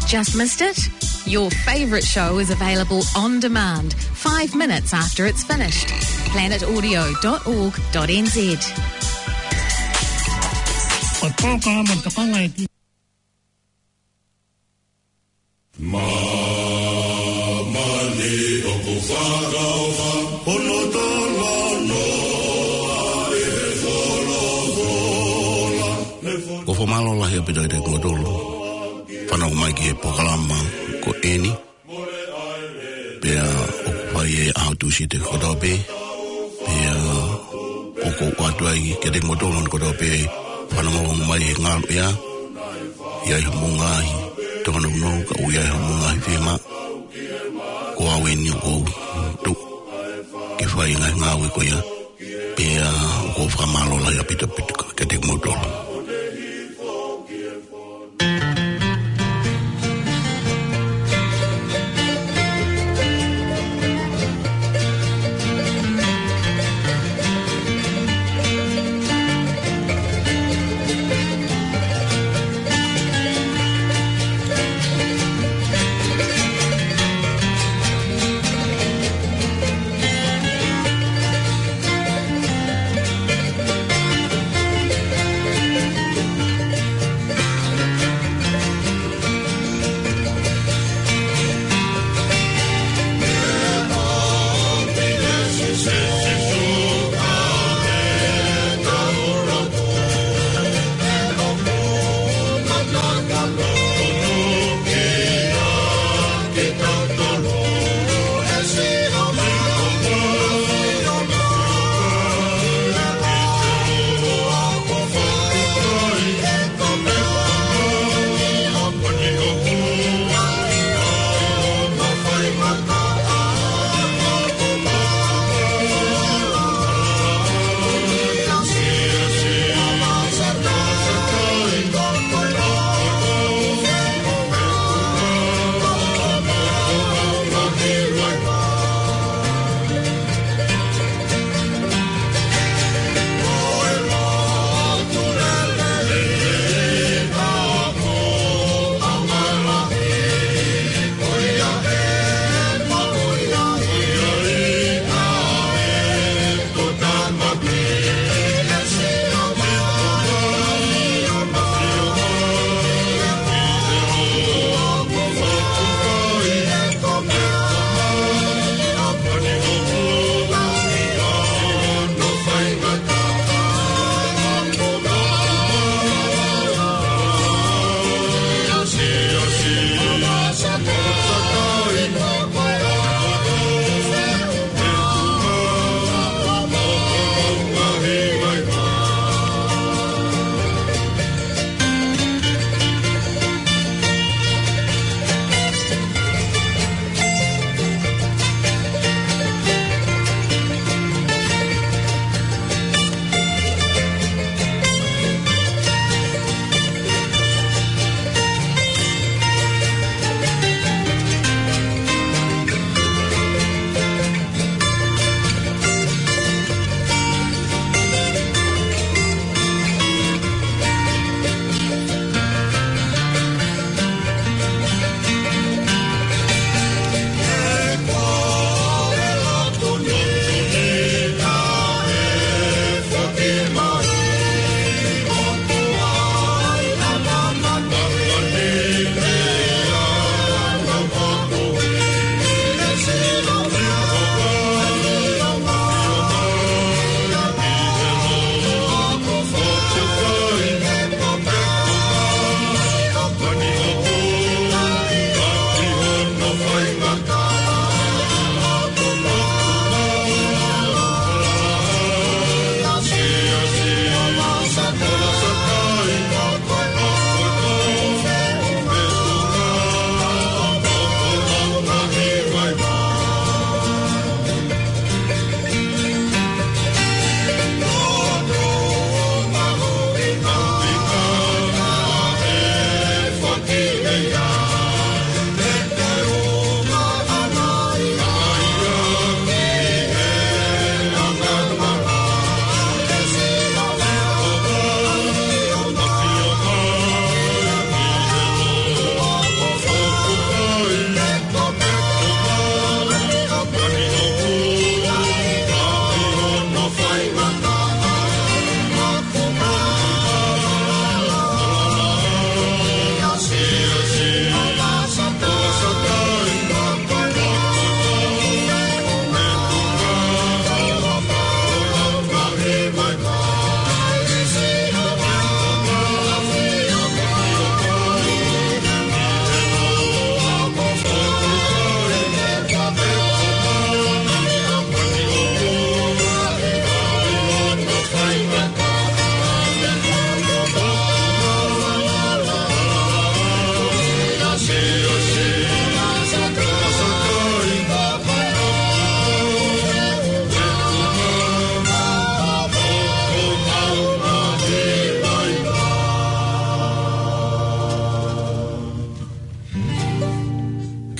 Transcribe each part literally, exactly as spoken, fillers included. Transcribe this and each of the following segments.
Just missed it? Your favourite show is available on demand, five minutes after it's finished. planet audio dot org dot n z. ʻO tō ka mo tokanga e ki. Māmani ʻoku fakaʻofa, hono talanoa ʻi he folofola. Ko e fakamālō lahi ʻaupito kiate kimoutolu. Fanongo mai ki he polokalama ko eni. Pea ʻoku fai he ʻaho Tūsite kotoa pē. Pea ʻoku ou ʻoatu ai kiate kimoutolu hono kotoa pē fanongo mai he ngaluʻea. ʻI ai hoʻomou ngaahi tōnounou, ka ʻoku ʻi ai hoʻomou ngaahi fiemaʻu. Ko au eni ʻoku ou tuʻu ke fai e ngaahi ngāue ko ia. Pea ʻoku ou fakamālō lahi ʻaupito ʻaupito kiate kimoutolu.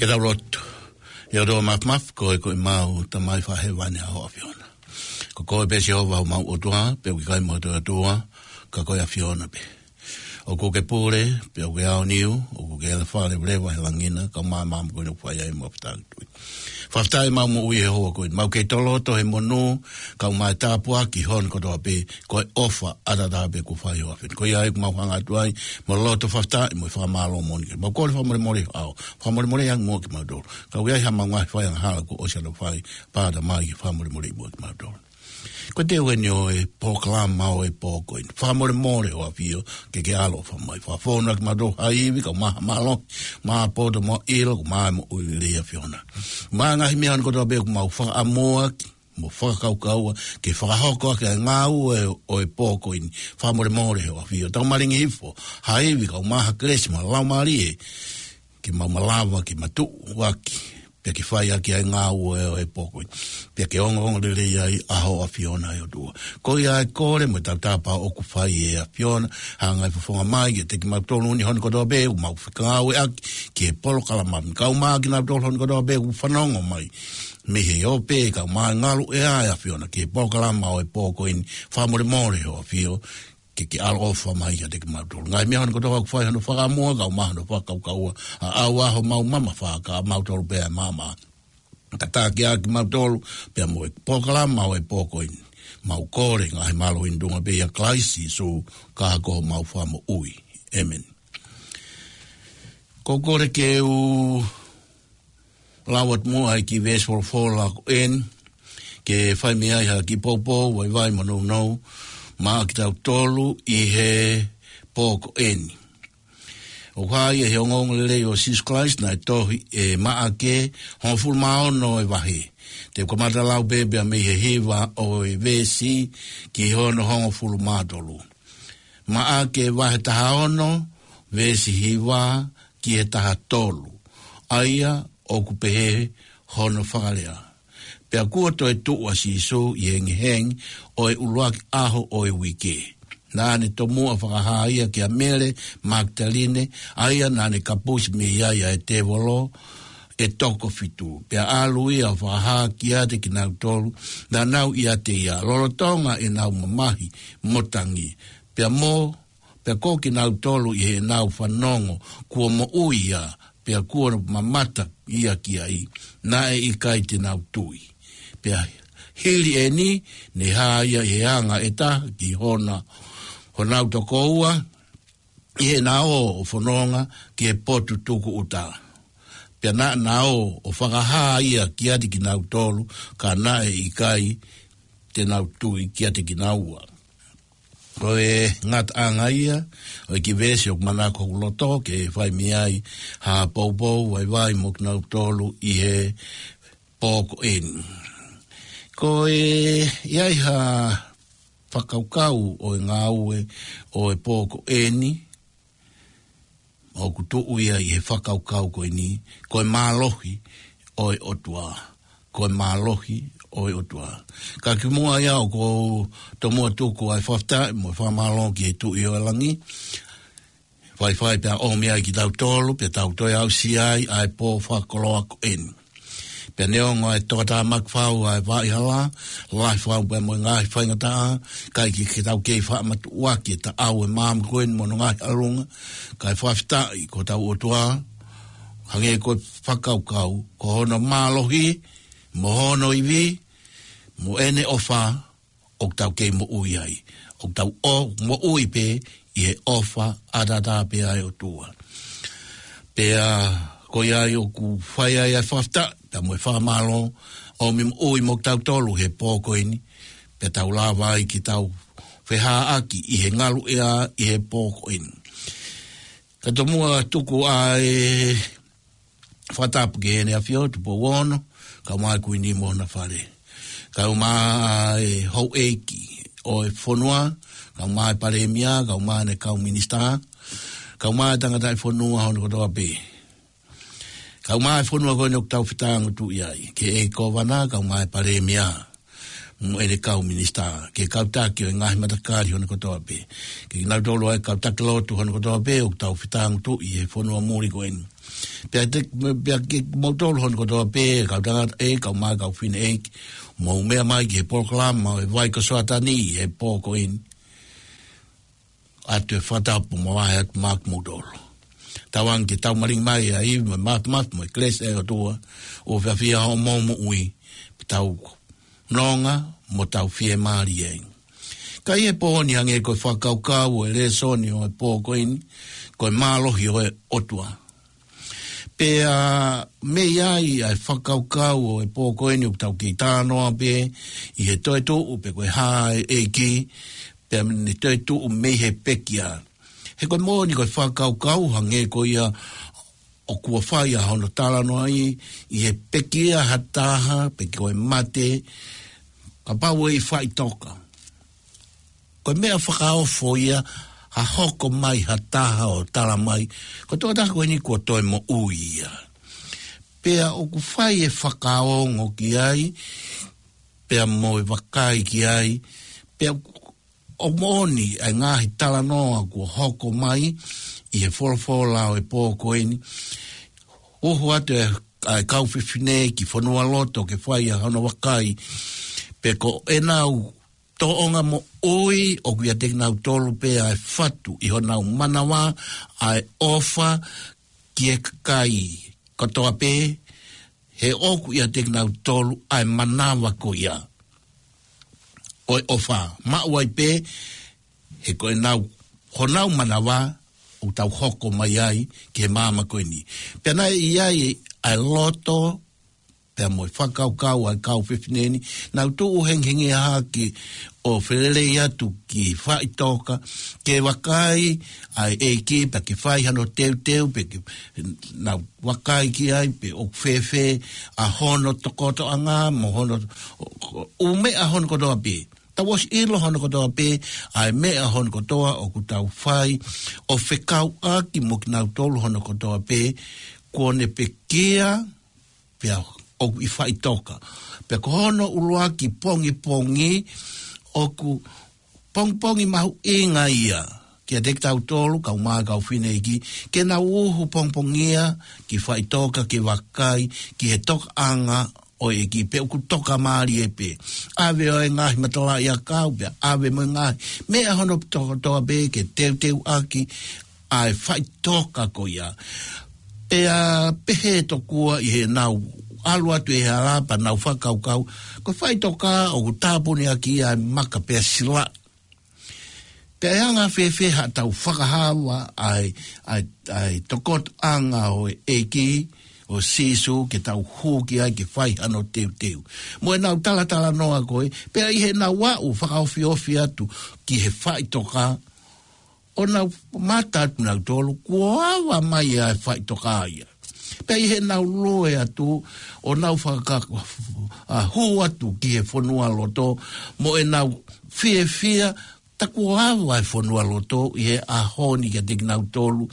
Tau lotu. ʻE ʻOtua Māfimafi, ko e, ko e mau Tamai fakahēvani ʻa ho ʻAfiona. Ko koe pē Sihova homau ʻOtua, pea ʻoku ʻikai mo ha toe ʻOtua, ka ko e ʻAfiona pē. ʻOku ke pule, pea ʻoku ke aoniu, ʻoku ke ʻalu fale leva he langi na, kae ʻumaʻā e maama ko eni ʻoku fai ai homau fetāutui. Fakafetaʻi ʻemau moʻui he houa ko eni. Mau kei toloto he monū, kae ʻumaʻā e tāpuaki hono kotoa pē, ko e ʻofa ʻataʻatā pē kuo fai ʻe ho ʻAfiona. Ko ia ai ʻoku mau hanga atu ai, mo e loto fakafetaʻi, mo e fakamālō moʻoni. Mau kole fakamolemole ʻaho. Fakamolemole ange muʻa kimautolu. Ka ʻoku ʻi ai haʻamau ngaahi faiangahala kuo ʻosi ʻalu fai, pea ʻatā mai ke fakamolemoleʻi muʻa kimautolu. Ko e teu eni ʻo e polokalama ʻo e pō ko eni. Fakamolemole ho ʻAfio, ke ke ʻaloʻofa mai. Fakafonu ʻaki kimautolu ha ivi, kae ʻumaʻā ha mālohi, mo ha poto mo ha ʻilo, kae ʻumaʻā e moʻui lelei ʻa e ʻAfiona. Mo e ngaahi meʻa hono kotoa pē ʻoku mau fakaʻamu ʻaki, mo fakakaukau ʻaki, ke fakahoko ʻaki e ngāue ʻo e pō ko eni. Fakamolemole ho ʻAfio. Tau malingi hifo, ha ivi, kae ʻumaʻā ha kelesi mo e laumālie, ke mau malava, ke mau tuʻu ʻaki, pea ke fai ʻaki ʻa e ngāue ʻo e pō ko eni. Pea ke ongoongo lelei ai ʻa ho ʻAfiona ʻe ʻOtua. Ko ia e kole mo e tautapa ʻoku fai ʻe he ʻAfiona, hanga ʻo fofonga mai kiate kimautolu ni hono kotoa pē ʻoku mau fekauʻaki ki he polokalama ni. Kae ʻumaʻā kinautolu hono kotoa pē ʻoku fanongo mai mei he ope, kae ʻumaʻā e ngaluʻea ʻa e ʻAfiona ki he polokalama ʻo e pō ko eni. Fakamolemole ho ʻAfio, ke ke ʻaloʻofa mai kiate kimautolu. Ngaahi meʻa hono kotoa ʻoku fai hono fakaʻamu ʻaki, kae ʻumaʻā hono fakakaukau ʻaki, ʻa ʻau ʻa homau mamafa, kae ʻamautolu pē ʻa e maama. Tataki ʻaki kimautolu, pea mo e polokalama ʻo e pō ko eni. Mau kole ngaahi mālohi ʻi he tuʻunga pē ʻia Kalaisi Sīsū, ka ko homau Fakamoʻui. ʻĒmeni. Ko e kole ke u lau atu muʻa ʻa e kiʻi veesi folofola ko eni, ke fai mei ai ha kiʻi poupou, vaivai mo nounou, maʻa kitautolu ʻi he pō ko eni. ʻOku hā ia he ongoongolelei ʻo Sīsū Kalaisi naʻe tohi ʻe Maʻake, hongofulu mā ono e vahe. Te u kamata lau pē pea mei he hiva ʻo e veesi ki hono hongofulu mā tolu. Maʻake vahe taha ono, veesi hiva ki he taha tolu. ʻA ia ʻoku pehē hono fakalea. Pea kuo toe tuʻu ʻa Sīsū ʻi he hengihengi ʻo e ʻuluaki ʻaho ʻo e uike. Naʻa ne tomuʻa fakahā ia kia Mele Makitaline, ʻa ia naʻa ne kapusi mei ai ʻa e tēvolo ʻe toko fitu. Pea ʻalu ia ʻo fakahā kiate kinautolu naʻa nau ʻiate ia, lolotonga ʻenau mamahi mo tangi. Pea mo, pea ko kinautolu ʻi heʻenau fanongo kuo moʻui ia, pea kuo mamata ia ki ai, naʻe ʻikai te nau tui. Pea hili eni, ne hā ia ʻi he anga ʻe taha ki hona, honau tokoua, ʻi heʻena ō ʻo fononga ki he potu tukuʻuta. Pea naʻa na ō ʻo fakahā ia kiate kinautolu, ka naʻe ʻikai te nau tui kiate kinaua. Ko e ngataʻanga ia ʻo e kiʻi veesi ʻoku manako hoku loto ke fai mei ai ha poupou vaivai mo kinautolu ʻi he pō ko eni. Ko e, ʻi ai ha fakakaukau ʻo e ngāue ʻo e pō ko eni, ʻoku tuʻu ia ʻi he fakakaukau ko eni, ko e mālohi ʻo e ʻOtua. Ko e mālohi ʻo e ʻOtua. Ka kimuʻa ia ʻoku ou tomuʻa tuku ʻa e fakafetaʻi mo e fakamālō ki he Tuʻi ʻo e langi. Faifai pea ʻomi ai kitautolu, pea tau toe aʻusia ai ʻa e pō fakakoloa ko eni. Pea neongo ʻa e tokatāmaki fau ʻa e vaʻa hala, lahi fau pea mo e ngaahi faingataʻa, ʻikai ke, ke tau kei faʻa matuʻuaki ʻe taʻau e maama ko eni mo hono ngaahi ʻalunga, kae fakafetaʻi ko hotau ʻOtua, hangē ko e fakakaukau, ko hono mālohi, mo hono ivi, mo ʻene ʻofa, ʻoku tau kei moʻui ai. ʻOku tau ō, moʻui pē ʻi he ʻofa ʻataʻatā pē ʻa e ʻOtua. Pea ko ia ai ʻoku fai ai ʻa e fakafetaʻi, pea mo e fakamālō, ʻomi moʻui mo kitautolu he pō ko eni, pea tau lava ai ke tau feʻiloaki ʻi he ngaluʻea ʻi he pō ko eni. Ka tomuʻa tuku ʻa e fakatapu ki Heʻene ʻAfio Tupou Ono, kae ʻumaʻā e Kuini mo hona fale. Kae ʻumaʻā e houʻeiki ʻo e fonua, kae ʻumaʻā e Palēmia, kae ʻumaʻā ʻene kau minisitā, kae ʻumaʻā e tangataʻi fonua hono kotoa pē. Kae ʻumaʻā e fonua ko eni ʻoku tau fetāngotuʻi ai, ki he ʻEiki Kōvana, kae ʻumaʻā e Palēmia. mo ʻene kau minisitā, ki he kau taki ʻo e ngaahi matakali hono kotoa pē, ki he kinautolu ʻa e kau taki lotu hono kotoa pē ʻoku tau fetāngutuʻi he fonua muli ko eni. Pea te, pea kimoutolu hono kotoa pē, kau tangata ʻeiki, kau mā, kau fefine ʻeiki, mou meʻa mai ki he polokalama ʻo e Vai ko Soatani he pō ko eni. ʻOatu e fakatapu mo e vahe atu maʻa kimoutolu. Tauange ke tau malingi mai ʻa e ivi mo e māfimafi mo e kelesi ʻa e ʻOtua, ʻo fiefia hoʻomou moʻui, pea tau nonga mo tau fiemālie ai. Ka ʻi he pō ni, hangē ko e fakakaukau ʻo e lēsoni ʻo e pō ko eni, ko e mālohi ʻo e ʻOtua. Pea mei ai ʻa e fakakaukau ʻo e pō ko eni ʻoku tau kei talanoa pē ʻi he toetuʻu pe ko e hā ʻa e ʻEiki, pea mei he toetuʻu mei he pekia. He ko e moʻoni ko e fakakaukau hangē ko ia ʻoku fai ʻa hono talanoaʻi, ʻi he pekia ha taha, pe ko e mate, kapau ʻe ʻi faʻitoka. Ko e meʻa fakaofo ia, ha hoko mai ha taha ʻo tala mai, ko e tokotaha ko eni kuo toe moʻui ia. Pea ʻoku fai e fakaongo ki ai, pea mo e vakai ki ai, pea ʻoku moʻoni ʻa e ngaahi talanoa kuo hoko mai ʻi he folofola ʻo e pō ko eni. Uhu atu e, ʻa e kau fefine ki fonualoto ke fai ʻa hono vakai, pe ko ʻenau tōʻonga moʻui ʻoku ʻiate kinautolu pē ʻa e fatu ʻi honau manava, ʻa e ʻofa ki he kakai kotoa pē, he ʻoku ʻiate kinautolu ʻa e manava ko ia ʻo e ʻofa. Maʻu ai pē, he ko ʻenau, honau manava ʻoku tau hoko mai ai ki he māmani ko eni. Pea naʻe ʻi ai ʻa e loto, pea mo e fakakaukau ʻa e kau fefine ni, nau tuʻu hengihengi hake ʻo felelei atu ki faʻitoka, ke vakai ʻa e ʻEiki, pea ke fai hano teuteu, pe ke nau vakai ki ai, pe ʻoku fēfē ʻa hono tokotoʻanga, mo hono ʻū meʻa hono kotoa pē. Tau ʻosi ʻilo hono kotoa pē ʻa e meʻa hono kotoa ʻoku tau fai, ʻo fekauʻaki mo kinautolu hono kotoa pē kuo ne pekia, pea ʻoku ʻi faʻitoka. Pea ko hono ʻuluaki pongipongi, ʻoku pongipongi mahuʻinga ia kiate kitautolu, kau mā, kau fefine ʻeiki, ke nau uhu pongipongia ki faʻitoka ke vakai ki he tokaʻanga ʻo e ʻEiki, pe ʻoku tokamālie pē. ʻAve ʻo e ngaahi matalaʻiʻakau, pea ʻave mo e ngaahi meʻa hono kotoa pē ke teuteuʻaki ʻa e faʻitoka ko ia. Pea pehē tokua ʻi heʻenau ʻalu atu ʻi he hala pea nau fakakaukau, ko e faʻitoka ʻoku tāpuniʻaki ʻa e maka pea silaʻi. Pea ʻe anga fēfē haʻatau fakahā ʻa e, ʻa e, ʻa e tokotoʻanga ʻo e ʻEiki, ʻo Sīsū, ke tau hū ki ai ke fai hano teuteu. Mo ʻenau talatalanoa ko ē, pea ʻi heʻenau aʻu fakaofiofi atu ki he faʻitoka, ʻo nau mamata atu nautolu, kuo ava mai ʻa e faʻitoka ia. Pea ʻi heʻenau lue atu, ʻo nau fakaka-, ʻa, hū atu ki he fonualoto, mo ʻenau fiefia, tā kuo ava e fonualoto ʻi he ʻaho ni kiate kinautolu.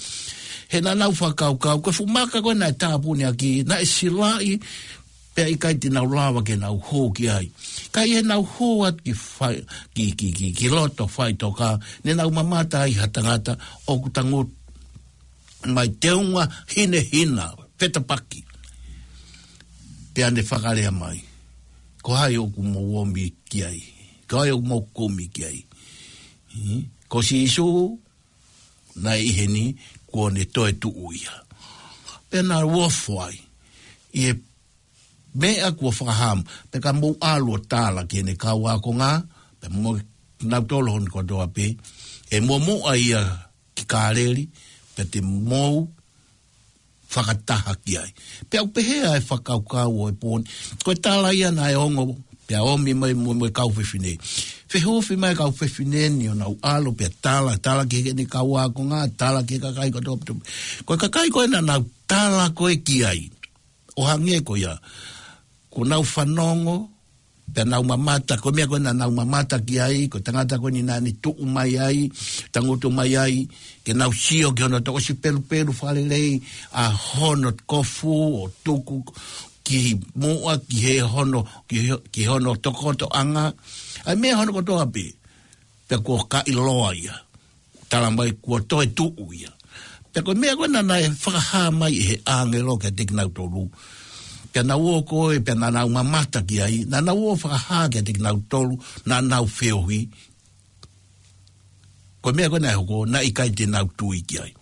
He naʻa nau fakakaukau, ko e fuʻu maka ko ē naʻe tāpuniʻaki, naʻe silaʻi, pea ʻikai te nau lava ke nau hū ki ai. Ka ʻi heʻenau hū atu ki fai-, ki, ki, ki, ki loto faʻitoka, ne nau mamata ai ha tangata ʻoku tangutu mai teunga hinehina, fetapaki. Pea ne fakalea mai, ko hai ʻoku mou omi ki ai? Ko hai ʻoku mou kumi ki ai? Hmm? Ko Sīsū, naʻe ʻi heni, kuo ne toetuʻu ia. Pea nau ofo ai ʻi he meʻa kuo fakahā mai, pea ka mou ʻalu ʻo tala ki heʻene kau ākonga, pea mo kinautolu hono kotoa pē, ʻe muʻomuʻa ia ki Kāleli, pea te mou fakataha ki ai. Pea ʻoku pehē ʻa e fakakaukau ʻo e pō ni, ko e tala ia naʻe ongo, pea omi mai mo, mo e kau fefine. Fehufi mai e kau fefine ni ʻo nau ʻalu, pea tala, tala ki heʻene kau ākonga, tala ki he kakai kotoa pē. Ko e kakai ko ē naʻa nau tala ko ē ki ai, ʻo hangē ko ia, kuo nau fanongo, pea nau mamata, ko e meʻa ko ē naʻa nau mamata ki ai, ko e tangata ko eni naʻa ne tuʻu mai ai, tangutu mai ai, ke nau sio ki hono toʻosi pelupelu fakalelei, ʻa hono kofu ʻo tuku, ki muʻa, ki he hono, ki he, ki hono tokotoʻanga. ʻA e meʻa hono kotoa pē, pea kuo kaʻiloa ia. Tala mai kuo toe tuʻu ia. Pea ko e meʻa ko ē naʻe fakahā mai ʻe he ʻāngelo kiate kinautolu. Pea naʻa nau ō ko ē, pea naʻa nau mamata ki ai, naʻa nau ō fakahā kiate kinautolu, naʻa nau feohi. Ko e meʻa ko ē naʻe hoko, naʻe ʻikai te nau tui ki ai.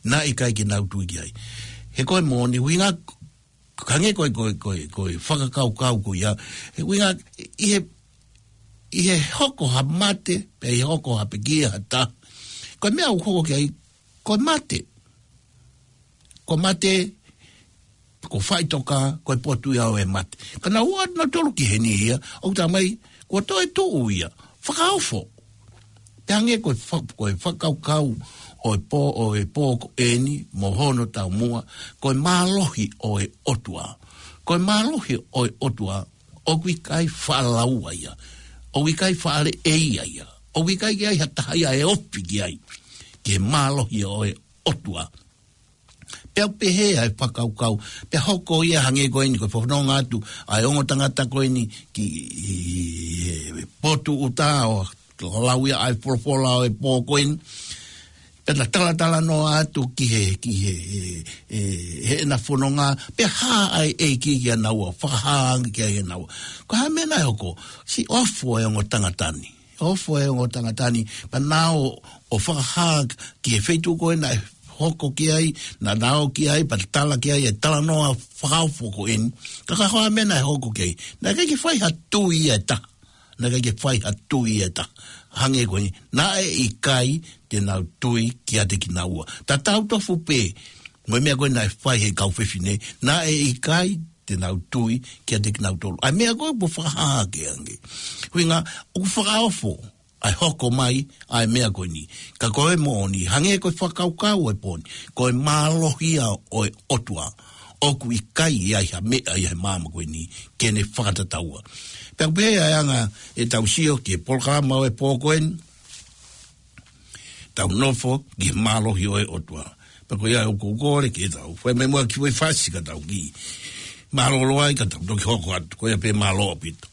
Naʻe ʻikai ke nau tui ki ai. He ko e moʻoni, ʻuhinga, hangē ko e, ko e, ko e, ko e fakakaukau ko ia. He ʻuhinga, ʻi he, ʻi he hoko ha mate, pe ʻi he hoko ha pekia ha taha. Ko e meʻa ʻoku hoko ki ai, ko e mate. Ko e mate, ko e faʻitoka, ko e potu ia ʻo e mate. Ka naʻa nau ō atu nautolu ki heni ia, ʻoku tala mai, kuo toe tuʻu ia, fakaofo. Pea hangē ko e fa-, ko e fakakaukau ʻo e pō, ʻo e pō ko eni, mo hono taumuʻa, ko e mālohi ʻo e ʻOtua. Ko e mālohi ʻo e ʻOtua, ʻoku ʻikai faʻa laua ia. ʻOku ʻikai faʻa leʻeia ia. ʻOku ʻikai ke ʻi ai ha taha ia ʻe ofi ki ai. Ki he mālohi ʻo e ʻOtua. Pea pehē ʻa e fakakaukau, pea hoko ia hangē ko eni ko e fononga atu ʻa e ongo tangata ko eni ki he potu ʻuta ʻo, ʻo lau ia ʻa e folofola ʻo e pō ko eni. Pea na talatalanoa atu ki he, ki he, he, he, heʻena fononga, pea hā ʻa e ʻEiki kia naua, fakahā ange kia naua. Ko e hā e meʻa naʻe hoko, siʻi ofo e ongo tangata ni. Ofo e ongo tangata ni, pea nau ō ʻo fakahā ki he feituʻu ko ē naʻe hoko ki ai, naʻa nau ō ki ai, pea tala ki ai, ʻe talanoa fakaofo ko eni. Ka ko e hā e meʻa naʻe hoko ki ai. Naʻe ʻikai ke fai ha tui ia ʻe taha. Naʻe ʻikai ke fai ha tui ia ʻe taha. Hangē ko eni, naʻe ʻikai te nau tui kiate kinaua. Tatau tofu pē, mo e meʻa ko ē naʻe fai he kau fefine, naʻe ʻikai te nau tui kiate kinautolu. ʻA e meʻa ko ē kuo fakahā ange. ʻUhinga, ʻoku fakaofo ʻa e hoko mai ʻa e meʻa ko eni. Ka ko e moʻoni, hangē ko e fakakaukau ʻo e pō ni, ko e mālohi ia ʻo e ʻOtua, ʻoku ʻikai ʻi ai ha meʻa ʻi he māmani ko eni ke ne fakatataua. Pea pehē ʻa e anga ʻetau sio ki he polokalama ʻo e pō ko eni, tau nofo ki he mālohi ʻo e ʻOtua. Pea ko ia ʻoku ou kole ke tau fai mai muʻa kiʻi foʻi fasi ka tau kiʻi mālōlō ai ka tau toki hoko atu. Ko ia pē, mālō ʻaupito.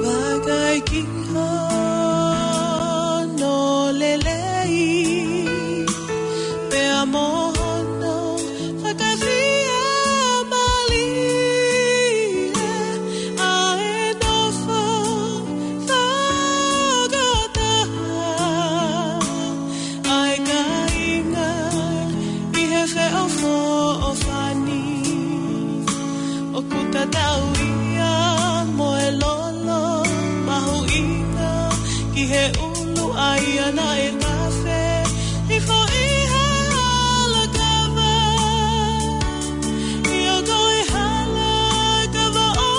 Vakai ki hono lelei, pea mo hono fakafiemālie, ʻa e nofo fakataha ʻa e kāinga ʻi he feʻofoʻofani. ʻOku tatau ia mo e lolo mahuʻinga ki he ʻulu ʻa ia naʻe tafe hifo ʻi he hala kava. ʻIo, ko e hala kava ʻo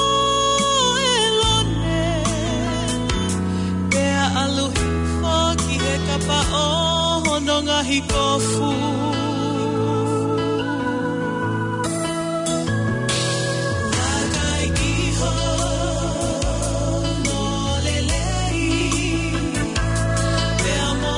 ʻĒlone, pea ʻalu hifo ki he kapa ʻo hono ngaahi kofu. Vakai ki hono lelei, pea mo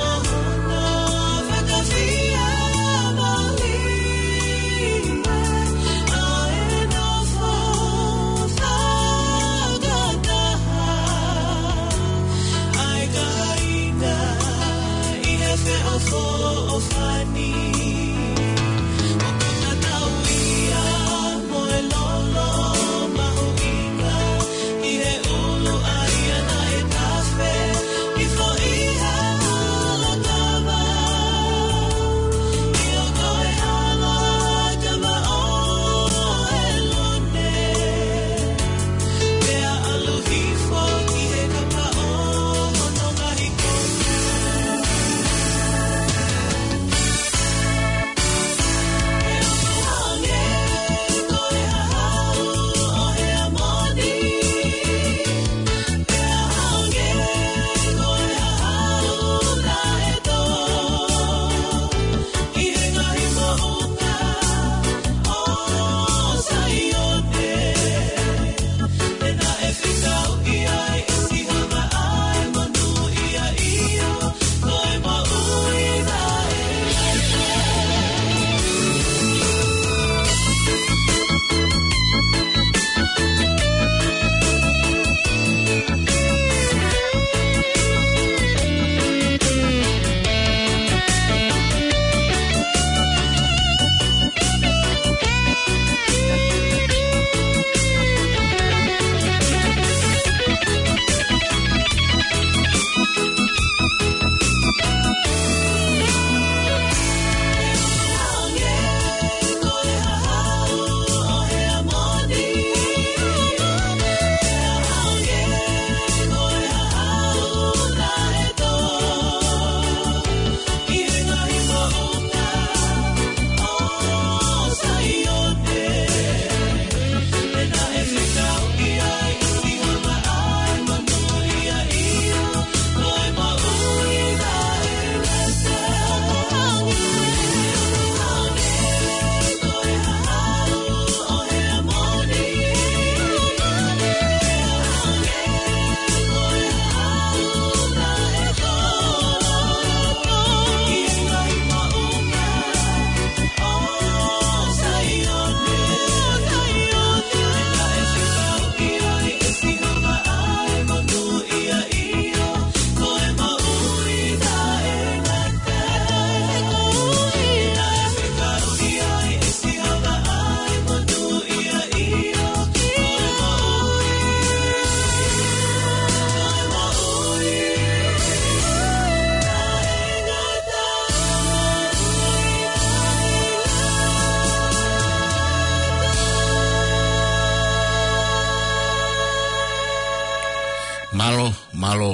Mālō, mālō.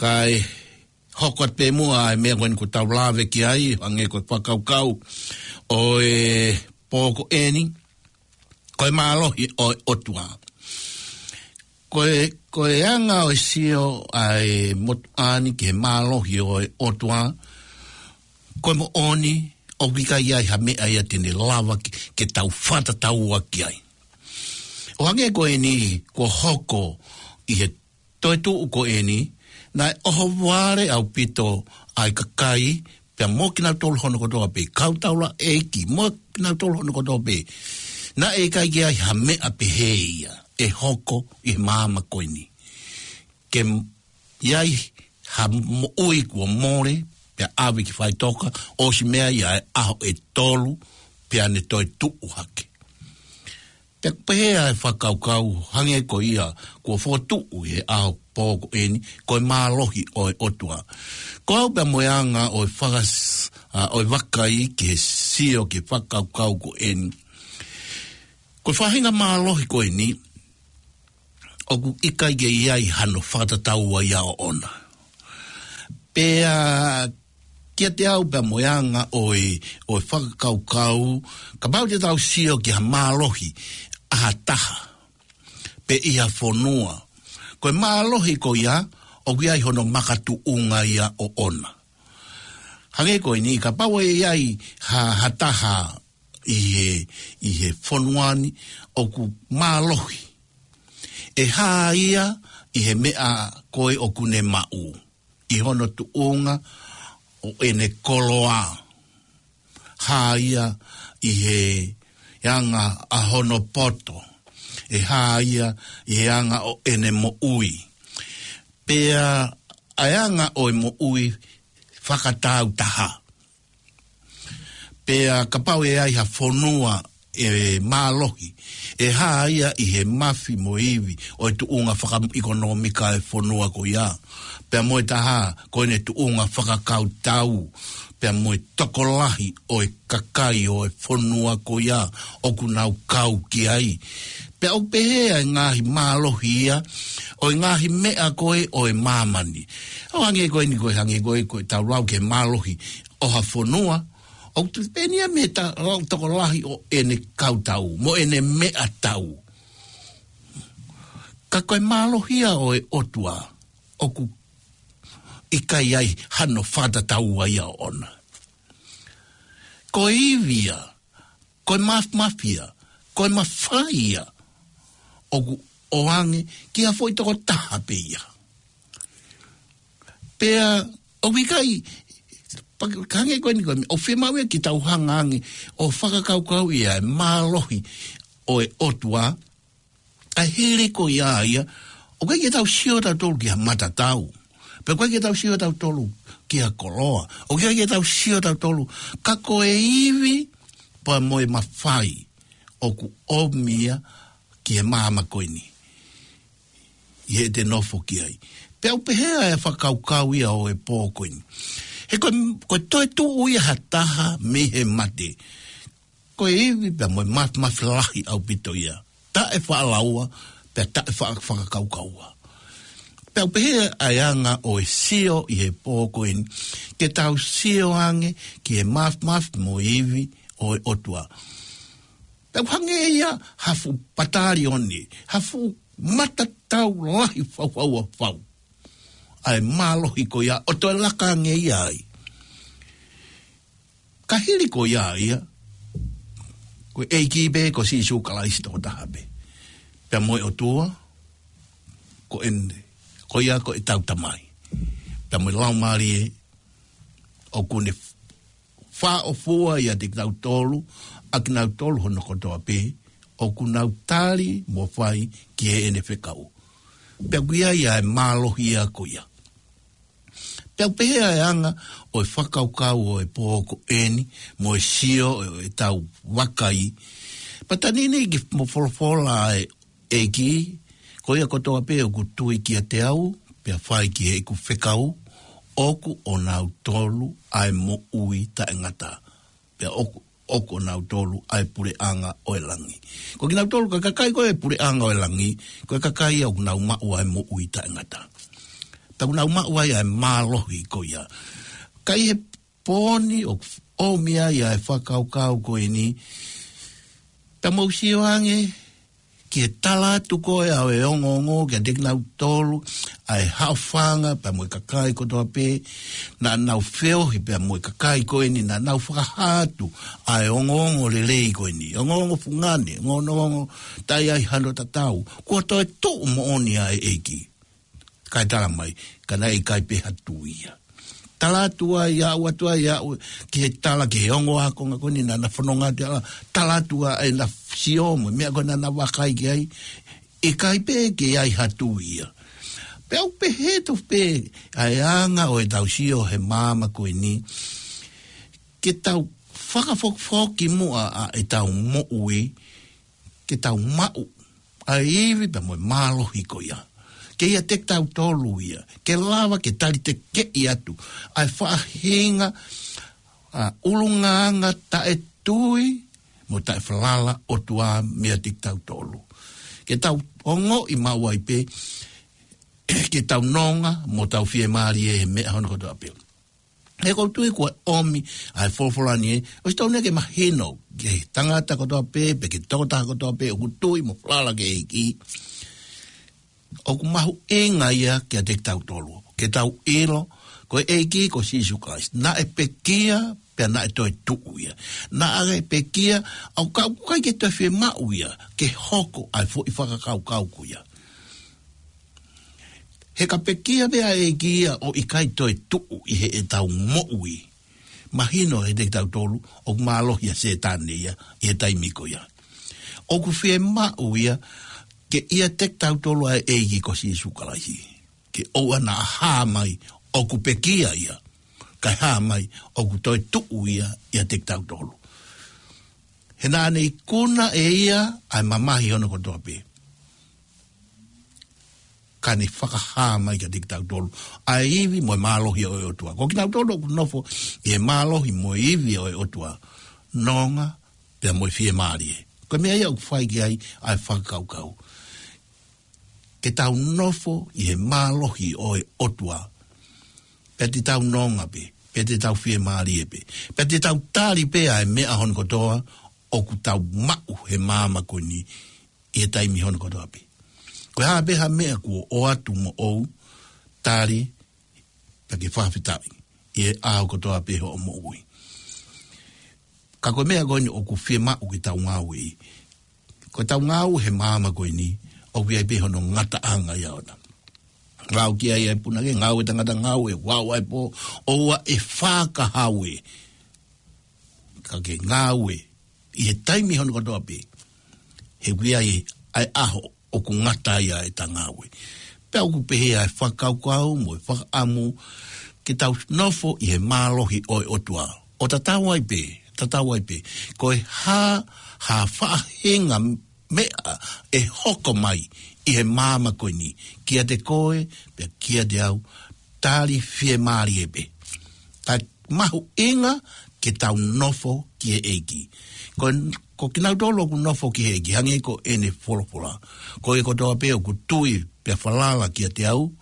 Kae hoko atu pē muʻa ʻa e meʻa ko eni kuo tau lave ki ai, hangē ko e fakakaukau ʻo e pō ko eni, ko e mālohi ʻo e ʻOtua. Ko e, ko e anga ʻo e sio ʻa e motuʻa ni ki he mālohi ʻo e ʻOtua, ko e moʻoni, ʻoku ʻikai ʻi ai ha meʻa ia te ne lava ke, ke tau fakatataua ki ai. ʻO hangē ko eni kuo hoko ʻi he toetuʻu ko eni, naʻe ʻohovale ʻaupito ʻa e kakai, pea mo kinautolu hono kotoa pē, kau taulaʻeiki, mo kinautolu hono kotoa pē. Naʻe ʻikai ke ʻi ai ha meʻa pehē ia ʻe hoko ʻi he māmani ko eni. Ke m-, ʻi ai ha moʻui kuo mole, pea ʻave ki faʻitoka, ʻosi meʻa ia ʻa e ʻaho ʻe tolu, pea ne toetuʻu hake. Pea ʻoku pehē ʻa e fakakaukau hangē ko ia kuo fokotuʻu ʻi he ʻaho pō ko eni, ko e mālohi ʻo e ʻOtua. Ko au pea mo e anga ʻo e fakas-, ʻa, ʻo e vakai ki he sio ki he fakakaukau ko eni. Ko e faʻahinga mālohi ko eni, ʻoku ʻikai ke ʻi ai hano fakatataua ia ʻoʻona. Pea kiate au pea mo e anga ʻo e, ʻo e fakakaukau, kapau te tau sio ki ha mālohi ʻa ha taha, pe ʻi ha fonua, ko e mālohi ko ia, ʻoku ʻi ai hono makatuʻunga ia ʻoʻona. Hangē ko eni, kapau ʻe ʻi ai ha, ha taha ʻi he, ʻi he fonua ni ʻoku mālohi. ʻE hā ia ʻi he meʻa ko ē ʻoku ne maʻu, ʻi hono tuʻunga ʻo ʻene koloa. Hā ia ʻi he anga ʻa hono poto. ʻE hā ia ʻi he anga ʻo ʻene moʻui. Pea ʻa e anga ʻo e moʻui fakatāutaha. Pea kapau ʻe ʻi ai ha fonua ʻe mālohi, ʻe hā ia ʻi he mafi mo e ivi ʻo e tuʻunga fakaʻekonōmika ʻo e fonua ko ia. Pea mo e taha, ko ʻene tuʻunga fakakautau, pea mo e tokolahi ʻo e kakai ʻo e fonua ko ia ʻoku nau kau ki ai. Pea ʻoku pehē ʻa e ngaahi mālohi ia, ʻo e ngaahi meʻa ko ē ʻo e māmani. ʻO hangē ko eni ko e hangē ko e, ko e tau lau ki he mālohi ʻo ha fonua, ʻoku tuʻu pē ia mei he ta-, lau tokolahi ʻo ʻene kautau, mo ʻene meʻatau. Ka ko e mālohi ia ʻo e ʻOtua, ʻoku ʻikai ai hano fakatataua ia ʻoʻona. Ko e ivi ia, ko e maf-, mafai ia, ko e mafai ia, ʻoku ʻoange ki ha foʻi tokotaha pē ia. Pea ʻoku ʻikai, pa-, hangē ko eni ko eni, ʻoku fiemaʻu ia ke tau hanga ange ʻo fakakaukau ia e mālohi ʻo e ʻOtua, ʻa e hili ko ia ia, ʻoku ʻikai ke tau sio tautolu ki ha matatau. Pea ʻoku ʻikai ke tau sio tautolu ki ha koloa. ʻOku ʻikai ke tau sio tautolu, ka ko e ivi, pea mo e mafai, ʻoku ʻomi ia ki he māmani ko eni. ʻI heʻete nofo ki ai. Pea ʻoku pehē ʻa e fakakaukau ia ʻo e pō ko eni. He ko e, ko e toetuʻu ia ha taha mei he mate. Ko e ivi pea mo e maf-, mafi lahi ʻaupito ia. Taʻe faʻalaua, pea taʻe fa-, fakakaukaua. Pea ʻoku pehē ʻa e anga ʻo e sio ʻi he pō ko eni. Ke tau sio ange ki he maf-, mafi mo e ivi ʻo e ʻOtua. Pea ʻoku hangē ia ha fuʻu patalione, ha fuʻu matatau lahi faufaua fau. ʻA e mālohi ko ia, ʻo toe laka ange ia ai. Ka hili ko ia ia, ko e ʻEiki pē ko Sīsū Kalaisi tokotaha pē. Pea mo e ʻOtua, ko ʻene, ko ia ko ʻetau Tamai. Pea mo e Laumālie, ʻoku ne fāʻofua ʻiate kitautolu, ʻa kinautolu hono kotoa pē, ʻoku nau tali mo fai ki heʻene fekau. Pea ʻoku ʻi ai ʻa e mālohi ia ko ia. Pea ʻoku pehē ʻa e anga ʻo e fakakaukau ʻo e pō ko eni, mo e sio ʻo ʻetau vakai. Pea tā ni ke mo folofola ʻa e ʻEiki, ko ia kotoa pē ʻoku tui kiate au, pea fai ki heʻeku fekau, ʻoku ʻonautolu ʻa e moʻui taʻengata. Pea ʻoku ʻoku ʻonautolu ʻa e puleʻanga ʻo e langi. Ko kinautolu ko e kakai ko e puleʻanga ʻo e langi, ko e kakai ia ʻoku nau maʻu ʻa e moʻui taʻengata. Pea ʻoku nau maʻu ai ʻa e mālohi ko ia. Ka ʻi he pō ni ʻoku ʻomi ai ʻa e fakakaukau ko eni, pea mou sio ange ki he tala atu ko ē ʻa e ongoongo kiate kinautolu ʻa e haʻofanga pea mo e kakai kotoa pē naʻa nau feohi pea mo e kakai ko eni naʻa nau fakahā atu ʻa e ongoongo lelei ko eni, ongoongo fungani, ongoongo taʻe ai hano tatau, kuo toe tuʻu moʻoni ʻa e ʻEiki. Kae tala mai, ka naʻe ʻikai pē ha tui ia. Tala atu ai, aʻu atu ai, aʻu ki he tala, ki he ongo ākonga ko eni naʻa na fononga atu ai, tala atu ai ʻena sio mo e meʻa ko ē naʻa na vakai ki ai, ʻikai pē ke ʻi ai ha tui ia. Pea ʻoku pehē tofu pē ʻa e anga ʻo ʻetau sio he māmani ko eni, ke tau fakafokifoki muʻa ʻa ʻetau moʻui, ke tau maʻu ʻa e ivi pea mo e mālohi ko ia. Ke ʻiate kitautolu ia, ke lava ke tali tekeʻi atu ʻa e faʻahinga ʻa e ʻulungaanga taʻetui mo taʻefalala ʻOtua meiate kitautolu. Ke tau ongoʻi maʻu ai pē, ke tau nonga mo tau fiemālie he meʻa hono kotoa pē. He ʻoku ou tui kuo ʻomi ʻa e folofola ni ē, ʻosi tau ne ke mahino ki he tangata kotoa pē, pe ki he tokotaha kotoa pē ʻoku tui mo falala ki he ʻEiki. ʻOku mahuʻinga ia kiate kitautolu ke tau ʻilo, ko e ʻEiki ko Sīsū Kalaisi naʻe pekia pea naʻe toe tuʻu ia. Naʻe pekia, ʻa ia ka ʻoku ʻikai ke toe fiemaʻu ia ke hoko ʻa e foʻi fakakaukau ko ia. He ka pekia pē ʻa e ʻEiki ia ʻo ʻikai toe tuʻu ʻi heʻetau moʻui, mahino kiate kitautolu ʻoku mālohi ʻa Sētane ia ʻi he taimi ko ia. ʻOku fiemaʻu ia ke ʻiate kitautolu ʻa e ʻEiki ko Sīsū Kalaisi, ke ʻoua naʻa hā mai ʻoku pekia ia, kae hā mai ʻoku toe tuʻu ia ʻiate kitautolu. He naʻa ne ikuna ʻe ia ʻa e mamahi hono kotoa pē, ka ne fakahā mai kiate kitautolu ʻa e ivi mo e mālohi ʻo e ʻOtua. Ko kinautolu ʻoku nofo ʻi he mālohi mo e ivi ʻo e ʻOtua, nonga pea mo e fiemālie. Ko e meʻa ia ʻoku fai ki ai ʻa e fakakaukau, ke tau nofo ʻi he mālohi ʻo e ʻOtua, pea te tau nonga pē, pea te tau fiemālie pē, pea te tau tali pē ʻa e meʻa hono kotoa ʻoku tau maʻu he māmani ko eni ʻi he taimi hono kotoa pē. Ko e hā pē ha meʻa kuo ʻoatu moʻou, tali, pea ke fakafetaʻi ʻi he ʻaho kotoa pē hoʻo moʻui. Ka ko e meʻa ko eni ʻoku fiemaʻu ke tau ngāueʻi. Ko ʻetau ngāue he māmani ko eni, ʻoku ʻi ai pē hono ngataʻanga ia ʻona. Lau ki ai ʻa e punake, ngāue tangata, ngāue, ʻoku ʻi ai pē, ʻoua ʻe fakahau ē. Ka ke ngāue ʻi he taimi hono kotoa pē, he ʻoku ʻi ai ʻa e ʻaho ʻoku ngata ai ʻa ʻeta ngāue. Pea ʻoku pehē ʻa e fakakaukau mo e fakaʻamu ke tau nofo ʻi he mālohi ʻo e ʻOtua. ʻO tatau ai pē, tatau ai pē, ko e hā ha faʻahinga meʻa ʻe hoko mai ʻi he māmani ko eni kiate koe pea kiate au, tali fiemālie pē. Ka mahuʻinga ke tau nofo ki he ʻEiki. Ko, ko kinautolu ʻoku nofo ki he ʻEiki, hangē ko ʻene folofola, ko e kotoa pē ʻoku tui pea falala kiate au,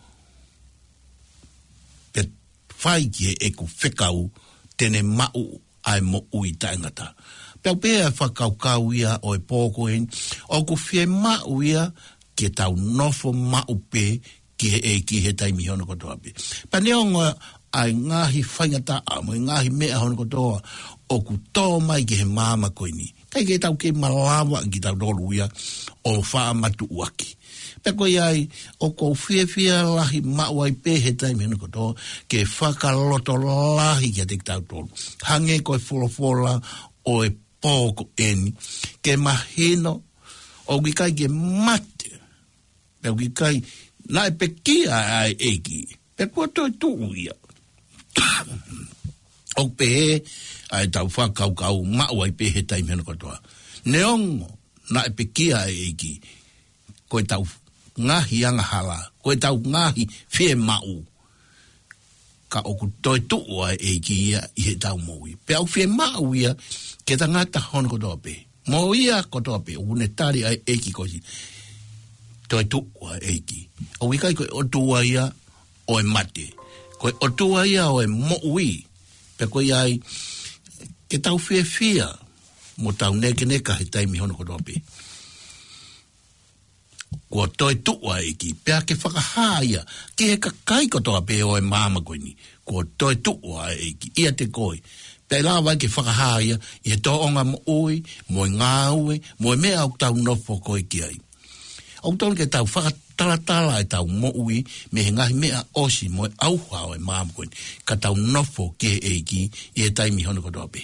pea fai ki heʻeku fekau, te ne maʻu ʻa e moʻui taʻengata. Pea ʻoku pehē ʻa e fakakaukau ia ʻo e pō ko eni, ʻoku fiemaʻu ia ke tau nofo maʻu pē ki he ʻEiki he taimi hono kotoa pē. Pea neongo ʻa e ngaahi faingataʻa mo e ngaahi meʻa hono kotoa ʻoku tō mai ki he māmani ko eni, ʻikai ke tau kei malava kitautolu ia ʻo fakamatuʻuaki. Pea ko ia ai, ʻoku ou fiefia lahi maʻu ai pē he taimi hono kotoa ke fakalotolahi kiate kitautolu, hangē ko e folofola ʻo e pō ko eni, ke mahino ʻoku ʻikai ke mate, pea ʻoku ʻikai, naʻe pekia ʻa e ʻEiki, pea kuo toe tuʻu ia. ʻOku pehē ʻa ʻetau fakakaukau maʻu ai pē he taimi hono kotoa. Neongo naʻe pekia ʻa e ʻEiki, ko ʻetau ngaahi angahala, ko ʻetau ngaahi fiemaʻu, ʻa ʻoku toetuʻu ʻa e ʻEiki ia ʻi heʻetau moʻui. Pea ʻoku fiemaʻu ia ke tangata hono kotoa pē. Mo ia kotoa pē, ʻoku ne tali ʻa e ʻEiki ko e toetuʻu ʻa e ʻEiki. ʻOku ʻikai ko e ʻOtua ia ʻo e mate. Ko e ʻOtua ia ʻo e moʻui. Pea ko ia ai, ke tau fiefia, mo tau nekeneka he taimi hono kotoa pē. Kuo toetuʻu ʻa e ʻEiki, pea ke fakahā ia ki he kakai kotoa pē ʻo e māmani ko eni. Kuo toetuʻu ʻa e ʻEiki ʻiate koe. Pea ʻe lava ai ke fakahā ia ʻi he tōʻonga moʻui, mo e ngāue, mo e meʻa ʻoku tau nofo ko ē ki ai. ʻOku totonu ke tau fakatalatala ʻetau moʻui mei he ngaahi meʻa ʻosi mo e ʻauha ʻo e māmani ko eni, ka tau nofo ki he ʻEiki ʻi he taimi hono kotoa pē.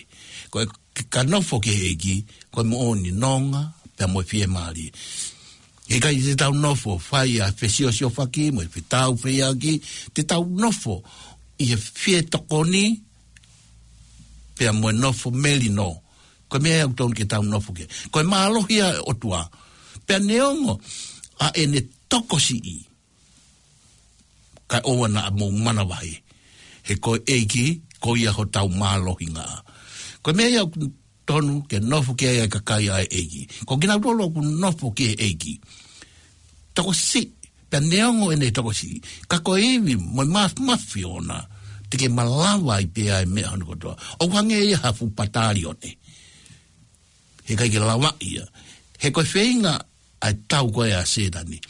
Ko e ka nofo ki he ʻEiki, ko e moʻoni, nonga, pea mo e fiemālie. ʻIkai te tau nofo fai ʻa e fesiosiofaki mo e fetaufehiʻaki, te tau nofo ʻi he fietokoni, pea mo e nofo melino. Ko e meʻa ia ʻoku totonu ke tau nofo ki ai. Ko e mālohi ʻa e ʻOtua. Pea neongo ʻa ʻene tokosiʻi, kae ʻoua naʻa mou manavahē. He ko e ʻEiki, ko ia hotau mālohinga. Ko e meʻa ia ʻoku totonu ke nofo ki ai ʻa e kakai ʻa e ʻEiki. Ko kinautolu ʻoku nofo ki he ʻEiki, tokosiʻi, pea neongo ʻene tokosiʻi, ka ko e ivi mo e mafimafi ʻona, te ke malava ai pē ʻa e meʻa hono kotoa. ʻOku hangē ia ha fuʻu patalione. Heʻikai ke lava ia. He ko e feinga ʻa e tau ko ē ʻa Sētane